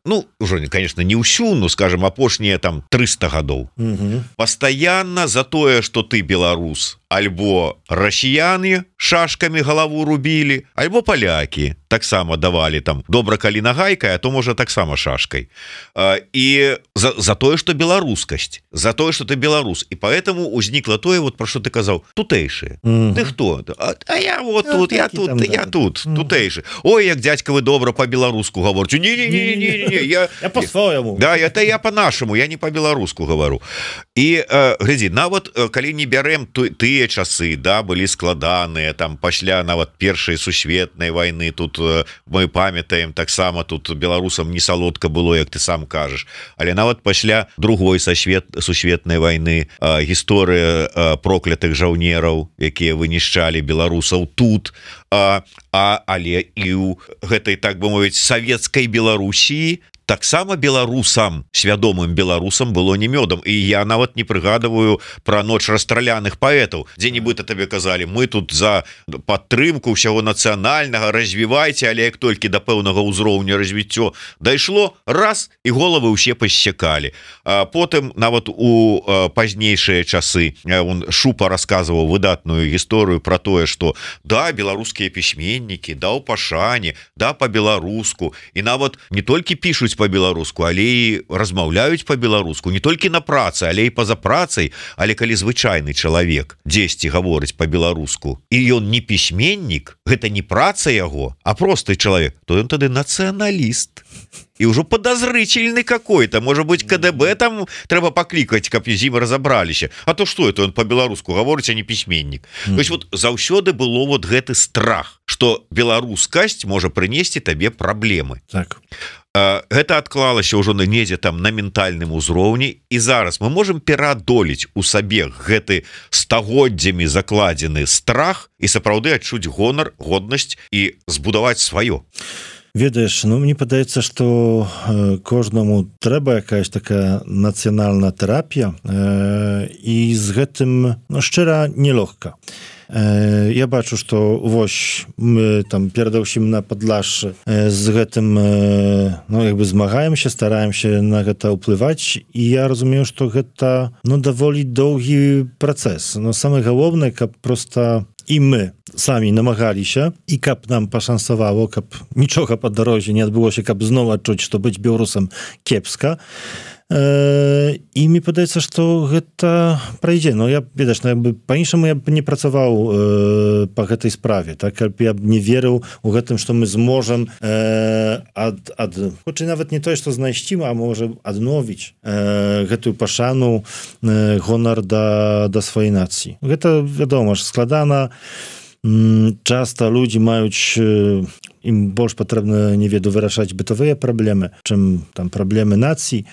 ну, уже, конечно, не ўсю, ну, скажем, апошнія там трыста гадоў. Угу. Пастаянна за тое, што ты беларус, альбо расіяне шашкамі галаву рубілі, альбо палякі таксама давалі там добра калі нагайкай, а то можа таксама шашкай. І за, за тое, што беларускасць, за тое, што ты беларус. І поэтому узнікла тое, вот пра што ты казаў, тутэйшыя. Mm-hmm. Ты хто? А, а я вот я тут, я тут, там, я да. тут, mm-hmm. тутэйшы. Ой, як дзядзька вы добра па-беларуску гаворыце. Не-не-не-не-не, я я по-свойму. Да, это я по-нашаму, я не па-беларуску гавару. І э, глядзі, нават калі не бярэм тыя часы, да, былі складаныя, там пасля нават першай сусветнай вайны, тут мы памятаем таксама, тут беларусам не салодка было, як ты сам кажаш, але нават пасля другой сусвет, сусветнай вайны э, гісторыя э, проклятых жаўнераў, якія вынішчалі беларусаў тут, э, а, але і ў гэтай, так бы мовіць, савецкай Беларусіі таксама беларусам, свядомым беларусам было не мёдам. І я нават не прыгадываю пра ноч расстраляных паэтаў, дзе-нібыта табе казалі, мы тут за падтрымку ўсяго нацыянальнага, развівайце, але як толькі да пэўнага ўзроўня развіццё дайшло, раз, і головы ўсе пассякалі. А потым нават у пазнейшыя часы он Шупа расказваў выдатную гісторыю пра тое, што да, беларускія пісьменнікі, да, ў пашане, да, па-беларуску, і нават не толькі пішуць по-беларуску, але і размаўляюць по-беларуску, не толькі на працы, але і па-за працай, але калі звычайны чалавек дзесьці гаворыць по-беларуску, і ён не пісьменнік, гэта не праца яго, а просты чалавек, то ён тады нацыяналіст. І ўжо подозрительный какой-то, может быть, КДБ там трэба паклікаць, каб з ім разабраліся. А то што это, он по-беларуску гаворыць, а не пісьменнік. Mm-hmm. То есть вот заўсёды было вот гэты страх, што беларускасць можа прынесці табе праблемы. Так. Гэта адклалася ўжо на недзе там на ментальным узроўні, і зараз мы можем пераадолець у сабе гэты стагоддзямі закладзены страх і сапраўды адчуць гонар, годнасць і збудаваць сваё. Ведаеш, ну мне падаецца, што э, кожнаму трэба якаясь такая нацыянальная тэрапія, э, і з гэтым, ну, шчыра, нелёгка. Э, я бачу, што вось мы там перадаўсім на Падлашшы э, з гэтым э, ну, як бы змагаемся, стараемся на гэта ўплываць, і я разумею, што гэта, ну, даволі доўгі працэс. Но самае галоўнае, каб проста і мы самі намагаліся, і каб нам пашансавало, каб нічога па дарозе не адбылося, каб зноў адчуць, што быць беларусам кепска. Э, і мне падаецца, што гэта прайдзе. Но я, ведаеш, ну, па-іншаму я б не працаваў э, па гэтай справе, так, каб я б не верыў у гэтым, што мы зможам э, ад, ад, хоць нават не тое, што знайсці, а можа адновіць э, гэтую пашану, э, гонар да, да сваёй нацыі. Гэта, вядома ж, складана. Часта людзі маюць, ім больш патрэбна, не веду, вырашаць бытавыя праблемы, чым там праблемы нацыі.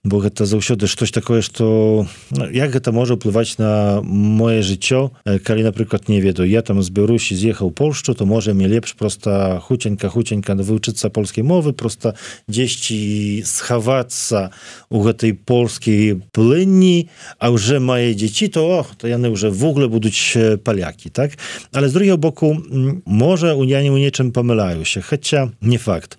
бо гэта заўсёды штось такое, што ну, як гэта можа ўплываць на моё жыццё, калі, напрыклад, не ведаю, я там з Беларусі з'ехаў у Польшчу, то можа мне лепш проста хуценька хуценька вывучыцца польскай мовы, проста дзесьці схавацца у гэтай польскай плынні, а ўжо мае дзеці, то, ох, то яны ўжо в ogóle будуць палякі, так? Але з другого боку, можа, я не у нечым памыляюся, хаця не факт.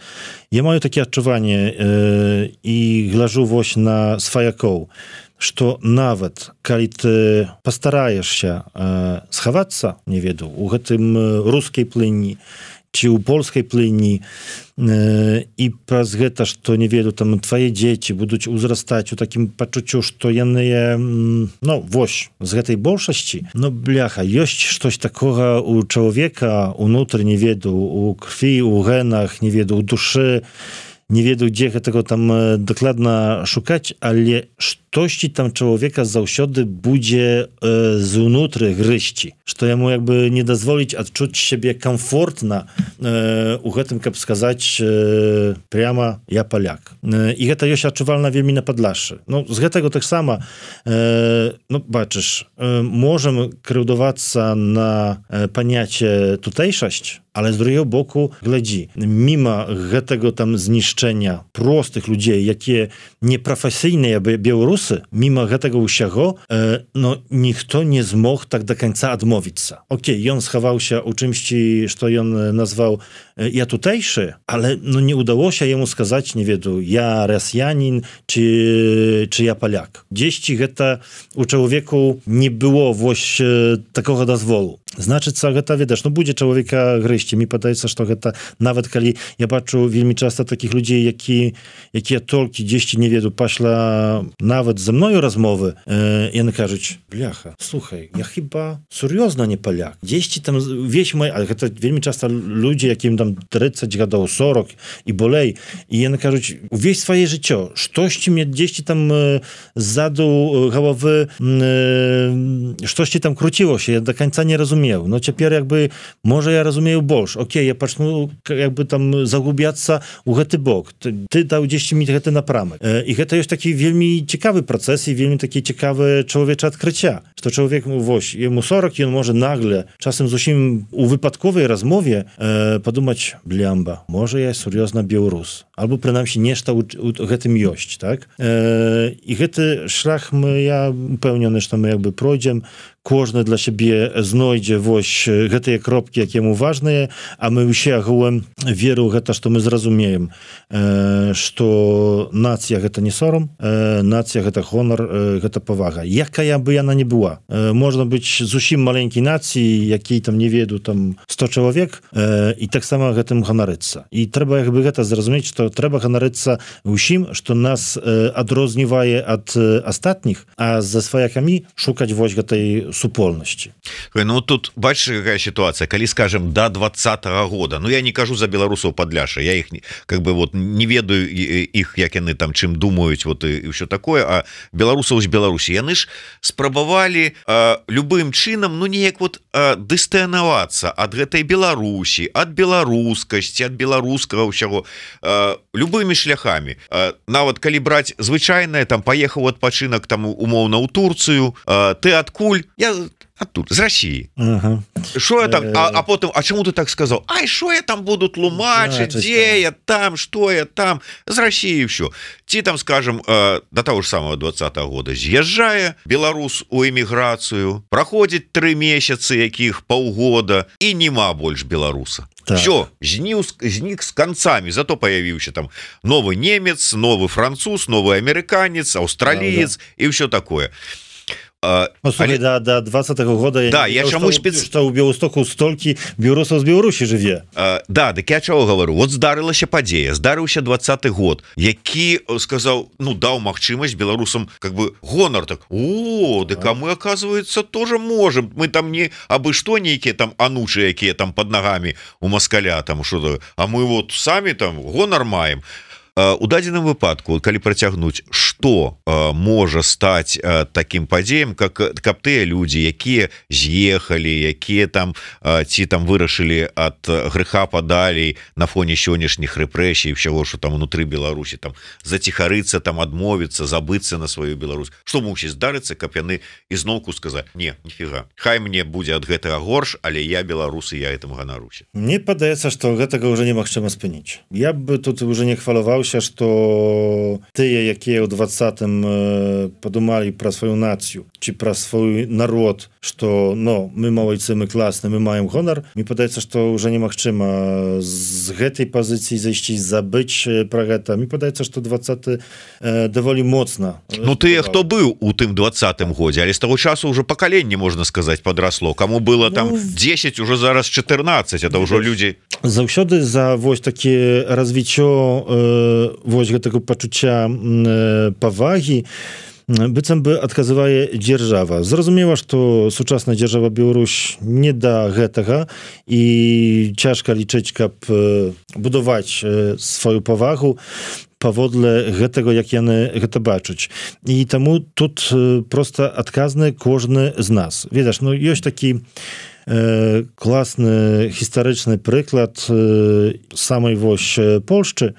Я маю такі адчуванне э, і гляжу вось на сваякоў, што нават калі ты пастараешся э, схавацца, не ведаю, у гэтым рускай плыні ці ў польскай плыні э, і праз гэта, што не ведаю, там твае дзеці будуць узрастаць у такім пачуццю, што яны ну, вось, з гэтай большасці, ну, бляха, ёсць штось такога у чалавека унутры, не ведаю, у крві, у генах, не ведаю, у душы, не ведаю, дзе гэтага там дакладна шукаць, але штосьці там чалавека заўсёды будзе э, зунутры грызці, што яму як бы не дазволіць адчуць сябе комфортна э, у гэтым, каб сказаць э, прямо я паляк. Э, і гэта ёсць адчувальна вельмі на Падляшшы. Ну, з гэтага таксама э, ну, бачыш, э, можам крыўдавацца на э, паняцце тутэйшасць, ale z drugiego boku, глядzi, mimo tego tam zniszczenia prostych ludzi, jakie nieprofesyjne Białorusy, mimo tego usiago, no nikt nie zmógł tak do końca odmówić się. Okej, okay, on schował się u czymś, co on nazwał ja tutejszy, ale no nie udało się jemu skazać, nie wiem, ja Rosjanin, czy, czy ja Polak. Gdzieś to u człowieku nie było właśnie takiego dozwolu. Znaczy, co to wiesz, no będzie człowieka gryźć. Mi wydaje się, że to nawet kiedy ja patrzę wielmi często takich ludzi, jaki, jaki ja tylko gdzieś nie wiem, paśla nawet ze mną rozmowy, e, i one każą, bliacha, słuchaj, ja chyba seriozno nie Polak. Gdzieś tam wieś moja, ale to wielmi często ludzie, jakim tam trzydzieści lat, czterdzieści i bolej, i one każą, wieś swoje życie, coś mnie gdzieś tam e, zadu głowy, e, coś tam króciło się, ja do końca nie rozumiem. No цяпер jakby może ja rozumiem больш. Окей, я пачну jakby tam zagubiaцца у гэты бок. Ty, ty dał gdzieś mi гэты напрамак. I гэта jest taki wielmi ciekawy proces i wielmi takie ciekawe człowiecze odkrycia. Że człowiek, woś, jemu сорок i on może nagle, czasem z усім u wypadkowej rozmowie e, podumać, bliamba, może ja seriozna Białorus. Albo przynajmniej nieszta u, u гэтym jość, tak? E, I гэty szlach my, ja upełniony, że my jakby projdziem, кожны для сябе знойдзе вось гэтыя кропкі, якія яму важныя, а мы ўсе агулам веру гэта, што мы зразумеем, э, што нацыя гэта не сорам, э, нацыя гэта гонар, э, гэта павага. Якая бы яна не была. Э, можна быць зусім маленькай нацыі, які там не веду там сто чалавек, э, і таксама гэтым ганарыцца. І трэба як бы гэта зразумець, што трэба ганарыцца ўсім, што нас э, адрознівае ад э, астатніх, а за сваякамі шукаць вось гэтай супольнасці. Ну тут бачыш, какая ситуация, калі скажем до двадцатого года, ну я не кажу за беларусаў Падляшша, я их как бы вот не ведаю их, як яны там чым думаюць, вот и, и все такое, а беларусаў з Беларусі яны ж спрабавалі а, любым чынам, ну неяк вот дыстанавацца ад гэтай Беларусі, ад беларускасці, ад беларускага ўсяго а, любымі шляхамі. А, нават калі браць звычайнае, там паехаў адпачынак там умоўна ў Турцыю, а, ты адкуль? Я оттуда, з России. Ага. Шо я там, а, а потом, а чему ты так сказал? Ай, шо я там буду тлумачить, где я там, что я там, з России все. Ти там, скажем, э, до того же самого двадцатого года з'язджае беларус у эміграцыю, проходит три месяца, якіх паўгода, и нема больше беларуса. Так. Все, знік с концами, зато появился там новый немец, новый француз, новый американец, австралиец, да, да. И все такое. А, ну, слухай, але... до, до двадцатого года да, я чаму спец... што ў Беластоку столькі беларусаў з Беларусі жыве. А, да, дык я чаго говорю, вот здарылася падзея, здарыўся двадцаты год, які сказаў, ну даў магчымасць беларусам как бы гонар, так о, дык а мы оказывается тоже можем, мы там не абы што нейкія там анучы, якія там под ногами у москаля там что, а мы вот самі там гонар маем. У дадзеным выпадку, калі працягнуць, што э, можа стаць э, таким падзеем, как каб тыя людзі, якія з'ехалі, якія там э, ці там вырашылі ад грэха падалей на фоне сённяшніх рэпрэсій, всего, что там внутры Беларусі, там заціхарыцца, там адмовіцца, забыцца на сваю Беларусь. Што мусіць здарыцца, каб яны ізноўку сказаць: не, ніфіга, хай мне будзе ад гэтага горш, але я беларусы, я этим ганаруся. Мне падаецца, што гэтага ўжо немагчыма спыніць. Я бы тут уже не хваляваўся, што тыя, якія ў двадцатым падумалі пра сваю нацыю ці пра свой народ, што ну, мы малайцы, мы класны, мы маем гонар, мне падаецца, што ўжо немагчыма з гэтай пазіцыі зайсці, забыць пра гэта. Мне падаецца, што двадцаты э, даволі моцна. Ну тыя, хто быў у тым двадцатым годзе, але з таго часу ўжо пакаленне, можна сказаць, падрасло. Каму было там дзесяць, уже зараз чатырнаццаць, это ўжо людзі. Заўсёды за вось такі развіццё э, вось гэтага пачуцця э, павагі быццам бы адказвае дзяржава. Зразумела, што сучасная дзяржава Беларусь не да гэтага і цяжка лічыць, каб будаваць сваю павагу паводле гэтага, як яны гэта бачаць. І таму тут проста адказны кожны з нас. Ведаш, ну ёсць такі э, класны гістарычны прыклад э, самай вось Польшчы,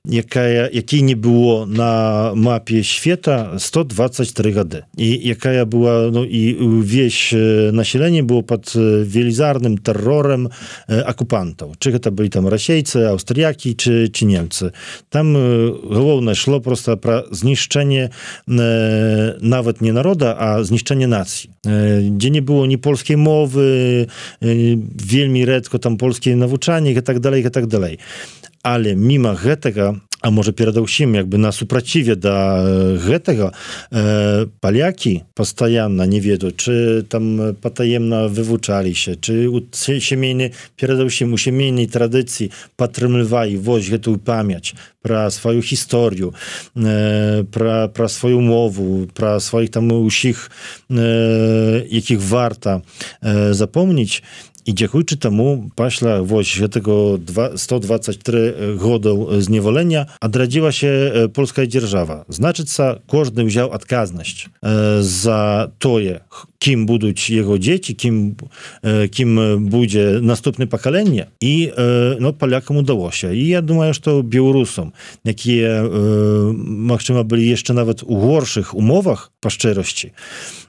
якая, якій не было на мапе света сто двадцать три гады. І якая была, ну, і ўвесь население было под велізарным тэрорам акупантаў. Чи гэта былі там расейцы, аўстрыякі, чи, чи немцы. Там галоўнае шло просто пра знішчэнне нават не народа, а знішчэнне нацыі. Дзе не было ні польскай мовы, вельмі рэдко там польскія навучанні і так далей, і так далей. Але міма гэтага, а можа перадаўсім як бы на супраціве да гэтага, э, палякі пастаянна не ведаюць, чы там патаемна вывучаліся, чы у сямейнай, перадаўсім у сямейнай традыцыі падтрымлівалі вось гэтую памяць пра сваю гісторыю, э, пра, пра сваю мову, пра сваіх там усіх, э, якіх варта э, запомніць. І дзякуючы таму пасля вось гэтага сто двадцать три годаў зневолення адрадзілася польская дзяржава. Значыцца, кожны ўзяў адказнасць за тое, кім будуць яго дзеці, кім, кім будзе наступнае пакаленне, і ну, палякам удалося. І я думаю, што беларусам, якія магчыма былі яшчэ нават у горшых умовах па шчырасці,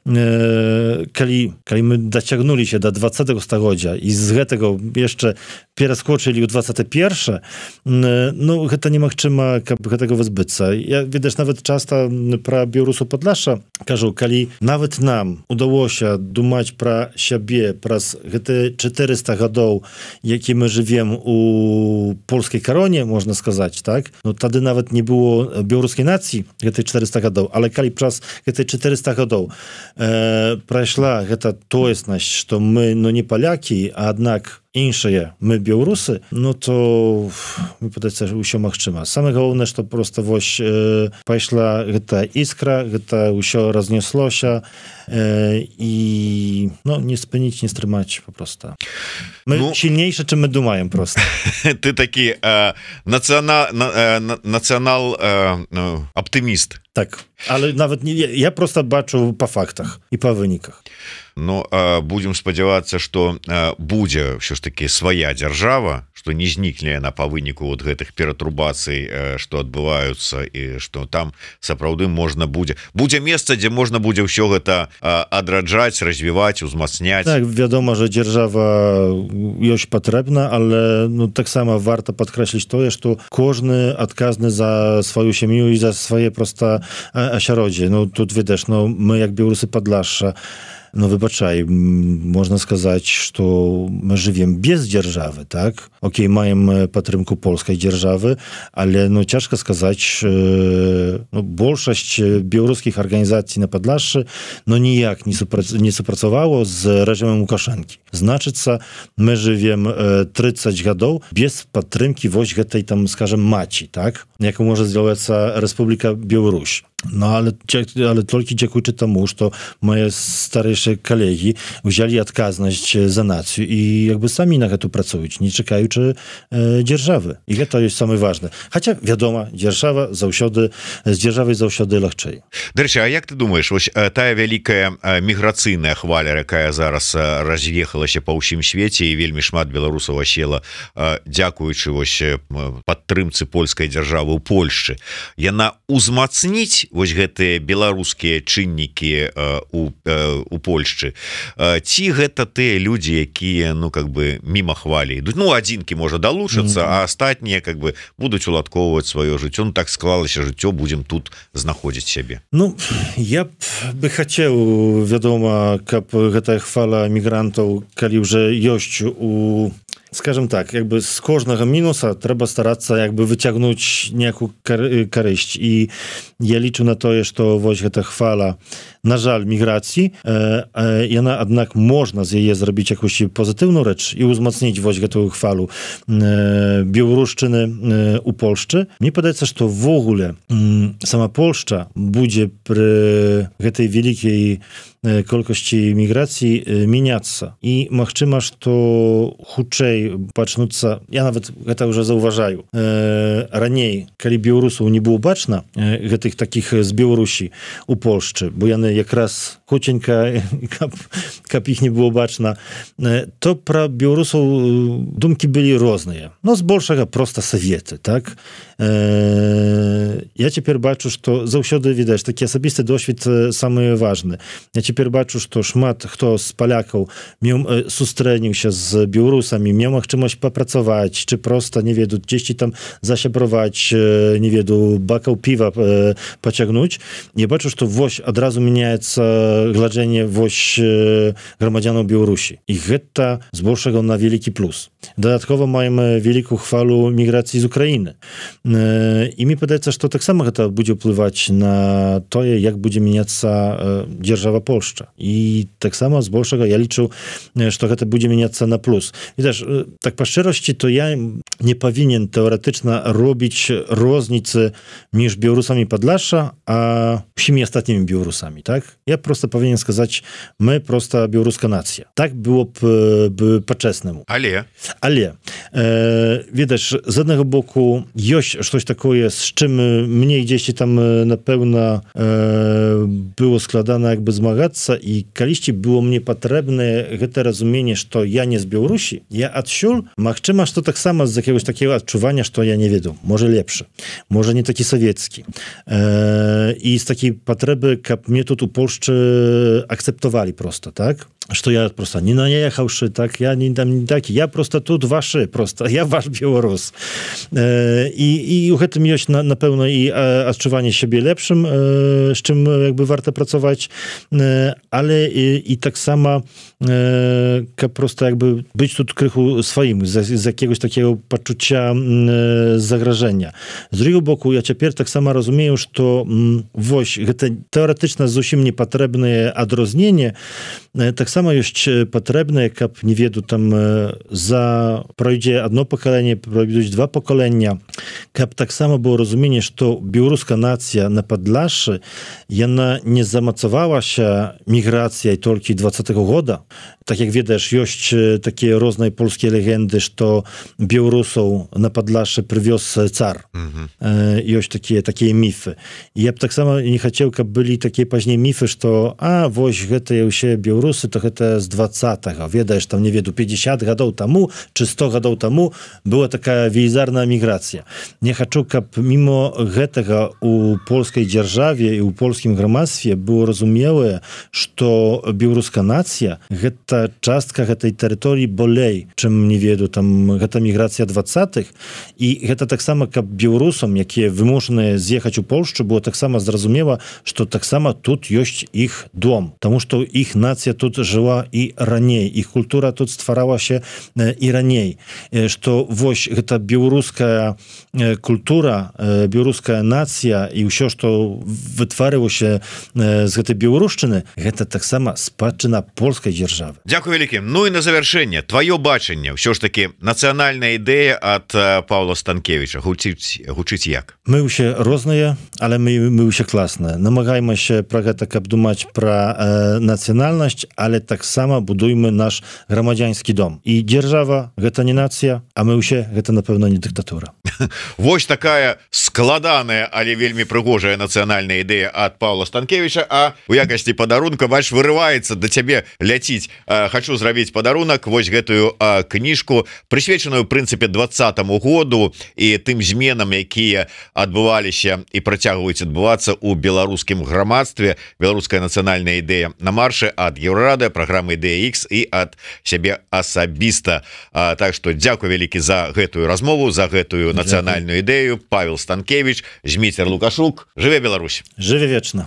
калі, калі мы дацягнуліся да двадцатага стагоддзя і з гэтага яшчэ пераскочылі ў двадцатае першае, ну, гэта немагчыма, каб гэтага вызбыцца. Я, ведаеш, нават часта пра беларусаў Падляшша кажу, калі нават нам удалося думаць пра сябе праз гэтыя чатырыста гадоў, які мы жывем у польскай кароне, можна сказаць, так? Ну, тады нават не было беларускай нацыі гэтыя чатырыста гадоў, але калі праз гэтыя чатырыста гадоў э, прайшла гэта тоеснасць, што мы, ну, не палякі, а аднак іншыя мы беларусы, ну то мне падаецца, ўсё магчыма. Самае галоўнае, што просто вось э, пайшла гэта іскра, гэта ўсё разнеслося э, і ну, не спыніць, не стрымаць папроста. Мы ну, сильнейшы, чым мы думаем просто. Ты такі э, нацыянал, э, нацыянал э, ну, аптыміст. Так, але нават не, я просто бачу па фактах і па выніках. Ну, будем спадзявацца, што будзе ўсё ж таки свая дзяржава, што не знікне яна па выніку вот гэтых ператрубацый, што адбываюцца, і што там сапраўды можна будзе будзе месца, дзе можна будзе ўсё гэта адраджаць, развіваць, узмацняць. Так, вядома, że дзяржава ёсць патрэбна, але ну, таксама варта падкрэсліць тое, што кожны адказны за сваю сям'ю і за свае проста асяроддзе. Ну, тут ведаеш, ну, мы як беларусы Падляшша, ну, выбачай, можна сказаць, што мы жывем без дзяржавы, так? Окей, маем падтрымку польскай дзяржавы, але, ну, цяжка сказаць, ну, большасць беларускіх арганізацый на Падляшшы, ну, ніяк не, супра... не супрацавала з рэжымам Лукашэнкі. Значыцца, мы жывем трыццаць гадоў без падтрымкі вось гэтай, там, скажем, маці, так? Яку можа з'яўляцца Рэспубліка Беларусь. No, ale, ale только dziękuję temu, że moje starsze kolegi wzięli odpowiedzialność za nację i jakby sami na to pracują, nie czekają e, dzierżawy. I to jest same ważne. Chociaż wiadomo, dzierżawa zawsze, z dzierżawy zawsze легчej. Дарэчы, а як ты думаешь, вось тая вялікая міграцыйная хваля, якая зараз раз'ехалася па ўсім свеце і вельмі шмат беларусаў асела, дзякуючы вось падтрымцы польскай дзяржавы ў Польшчы, яна узмацніць вось гэтыя беларускія чыннікі у, у Польшчы, ці гэта тыя людзі, якія ну как бы міма хвалі ідуць, ну адзінкі можа далучацца, mm-hmm. а астатнія как бы будуць уладкоўваць сваё жыццё, ну так склалася жыццё, будзем тут знаходзіць сябе. Ну я б бы хацеў, вядома, каб гэтая хвала мігрантаў, калі ўжо ёсць у, скажем так, якby з кожнага мінуса трэба старацца якby выцягнуць nejakую карысць, і я лічу на тое, што вось гэта хвала, на жаль, міграцыі, э, э, яна аднак можна з яе зрабіць якусь пазітыўную рэч і ўзмацніць вось гэтую хвалу э, беларушчыны э, у Польшчы. Мне падаецца, што ввогуле э, сама Польшча будзе пры гэтай вялікай колькасці міграцыі мяняцца. І магчыма, што хутчэй пачнуцца, я нават гэта ўжо заўважаю, э, раней, калі беларусаў не было бачна, э, гэтых такіх з Беларусі у Польшчы, бо яны якраз хуценька, каб, каб іх не было бачна, э, то пра беларусаў думкі былі розныя. Ну, збольшага проста саветы, так? Э, я цяпер бачу, што заўсёды, відаць, такі асабісты досвед самы важны. Я цяпер бачу, што шмат хто з палякаў меў, сустрэніўся з беларусамі, меў магчымасць папрацаваць, чи проста, не веду, дзесьці там засябраваць, не веду, бакаў піва пацягнуць. Я бачу, што вось адразу мяняецца гладжэнне вось грамадзянаў Беларусі. І гэта збольшага на вялікі плюс. Дадаткова маем вялікую хвалу міграцыі з Украіны. І мне падаецца, што таксама гэта будзе ўплываць на тое, як будзе мяняцца дзяржава Польшча. І таксама збольшага я лічу, што гэта будзе мяняцца на плюс. Відаш, так па шчырасці, то я не павінен тэоретычна робіць розніцы між беларусамі Падляшша, а ўсімі астатнімі беларусамі, так? Я просто павінен сказаць, мы просто беларуска нацыя. Так было б, б па-чэснаму. Але? Але, э, відаш, з аднаго боку ёсць штось такое, з чым мне дзесьці там, напэўна, э, было складана якby змагацца, і калісьці было мне патрэбнае гэта разуменне, што я не з Беларусі, я адсюль, магчыма, што таксама з якогось такого адчування, што я не веду, можа лепшы, можа не такі савецкі. Э, і з такой патрэбы, каб мне тут у Польшчы акцэптавалі просто, так? Што я просто не наехаўшы, так, я не там не такі, я просто тут вашы, просто, я ваш беларус. Э, і, і у гэтым ёсць, на, напэўна, і адчуванне сябе лепшым, э, з чым якby варта працаваць, э, але і, і таксама э, каб просто якby быць тут крыху сваім, з, з якiegoś такого пачуцця э, загражэння. З другого боку, я цяпер таксама разумею, што м, вось, гэта тэоретычна зусім непатрэбнае адрозненне, э, таксама ёсць патрэбнае, каб, не веду, там за пройдзе одно пакаленне, пройдуць два пакалення, каб таксама было разуменне, што беларуска нацыя на Падляшшы, яна не замацавалася міграцыяй толькі двадцатого года. Так як ведаеш, ёсць такія розныя польскія легенды, што беларусаў на Падляшшы прывёз цар. Mm-hmm. Ёсць такія, такія міфы. Я б таксама не хацеў, каб былі такія пазней міфы, што а, вось гэтыя ўсе беларусы, то гэта з двадцатого. Ведаеш, там, не веду, пятьдесят гадоў таму, чи сто гадоў таму была такая велізарная міграцыя. Не хачу, каб мімо гэтага у польскай дзяржаве і ў польскім грамадстве было разумелае, што беларуска нацыя гэта частка гэтай тэрыторыі болей, чым, не веду, там гэта міграцыя двадцатых, і гэта таксама, каб беларусам, якія вымушаныя з'ехаць у Польшчу, было таксама зразумела, што таксама тут ёсць іх дом, таму што іх нацыя тут жыла і раней, іх культура тут стваралася і раней, што вось гэта беларуская культура, беларуская нацыя і ўсё, што вытварылася з гэтай беларушчыны, гэта таксама спадчына польскай дзяржавы. Дзякуй вялікі. Ну і на завяршэнне твоё бачанне ўсё ж таки нацыянальная ідэя ад Павла Станкевича гучыць гучыць як? Мы ўсе розныя, але мы мы ўсе класныя. Намагаемся пра гэта каб думаць пра э, нацыянальнасць, але таксама будуйме наш грамадзянскі дом. І дзяржава гэта не нацыя, а мы ўсе гэта напэўна не дыктатура. Вось такая складаная, але вельмі прыгожая нацыянальная ідэя ад Павла Станкевича, а у якасці падарунка бач вырываецца да цябе ляціць. Хочу зрабіць падарунак вось гэтую кніжку, прысвечаную ў прынцыпе двадцатаму году і тым зменам, якія адбываліся і працягваюць адбывацца ў беларускім грамадстве. Беларуская нацыянальная ідэя на маршы ад Еўрарады, праграмы Ідэя Х і ад сябе асабіста. Так што дзякуй вялікі за гэтую размову, за гэтую нацыянальную ідэю. Павел Станкевич, Зміцер Лукашук. Жыве Беларусь. Жыве вечна.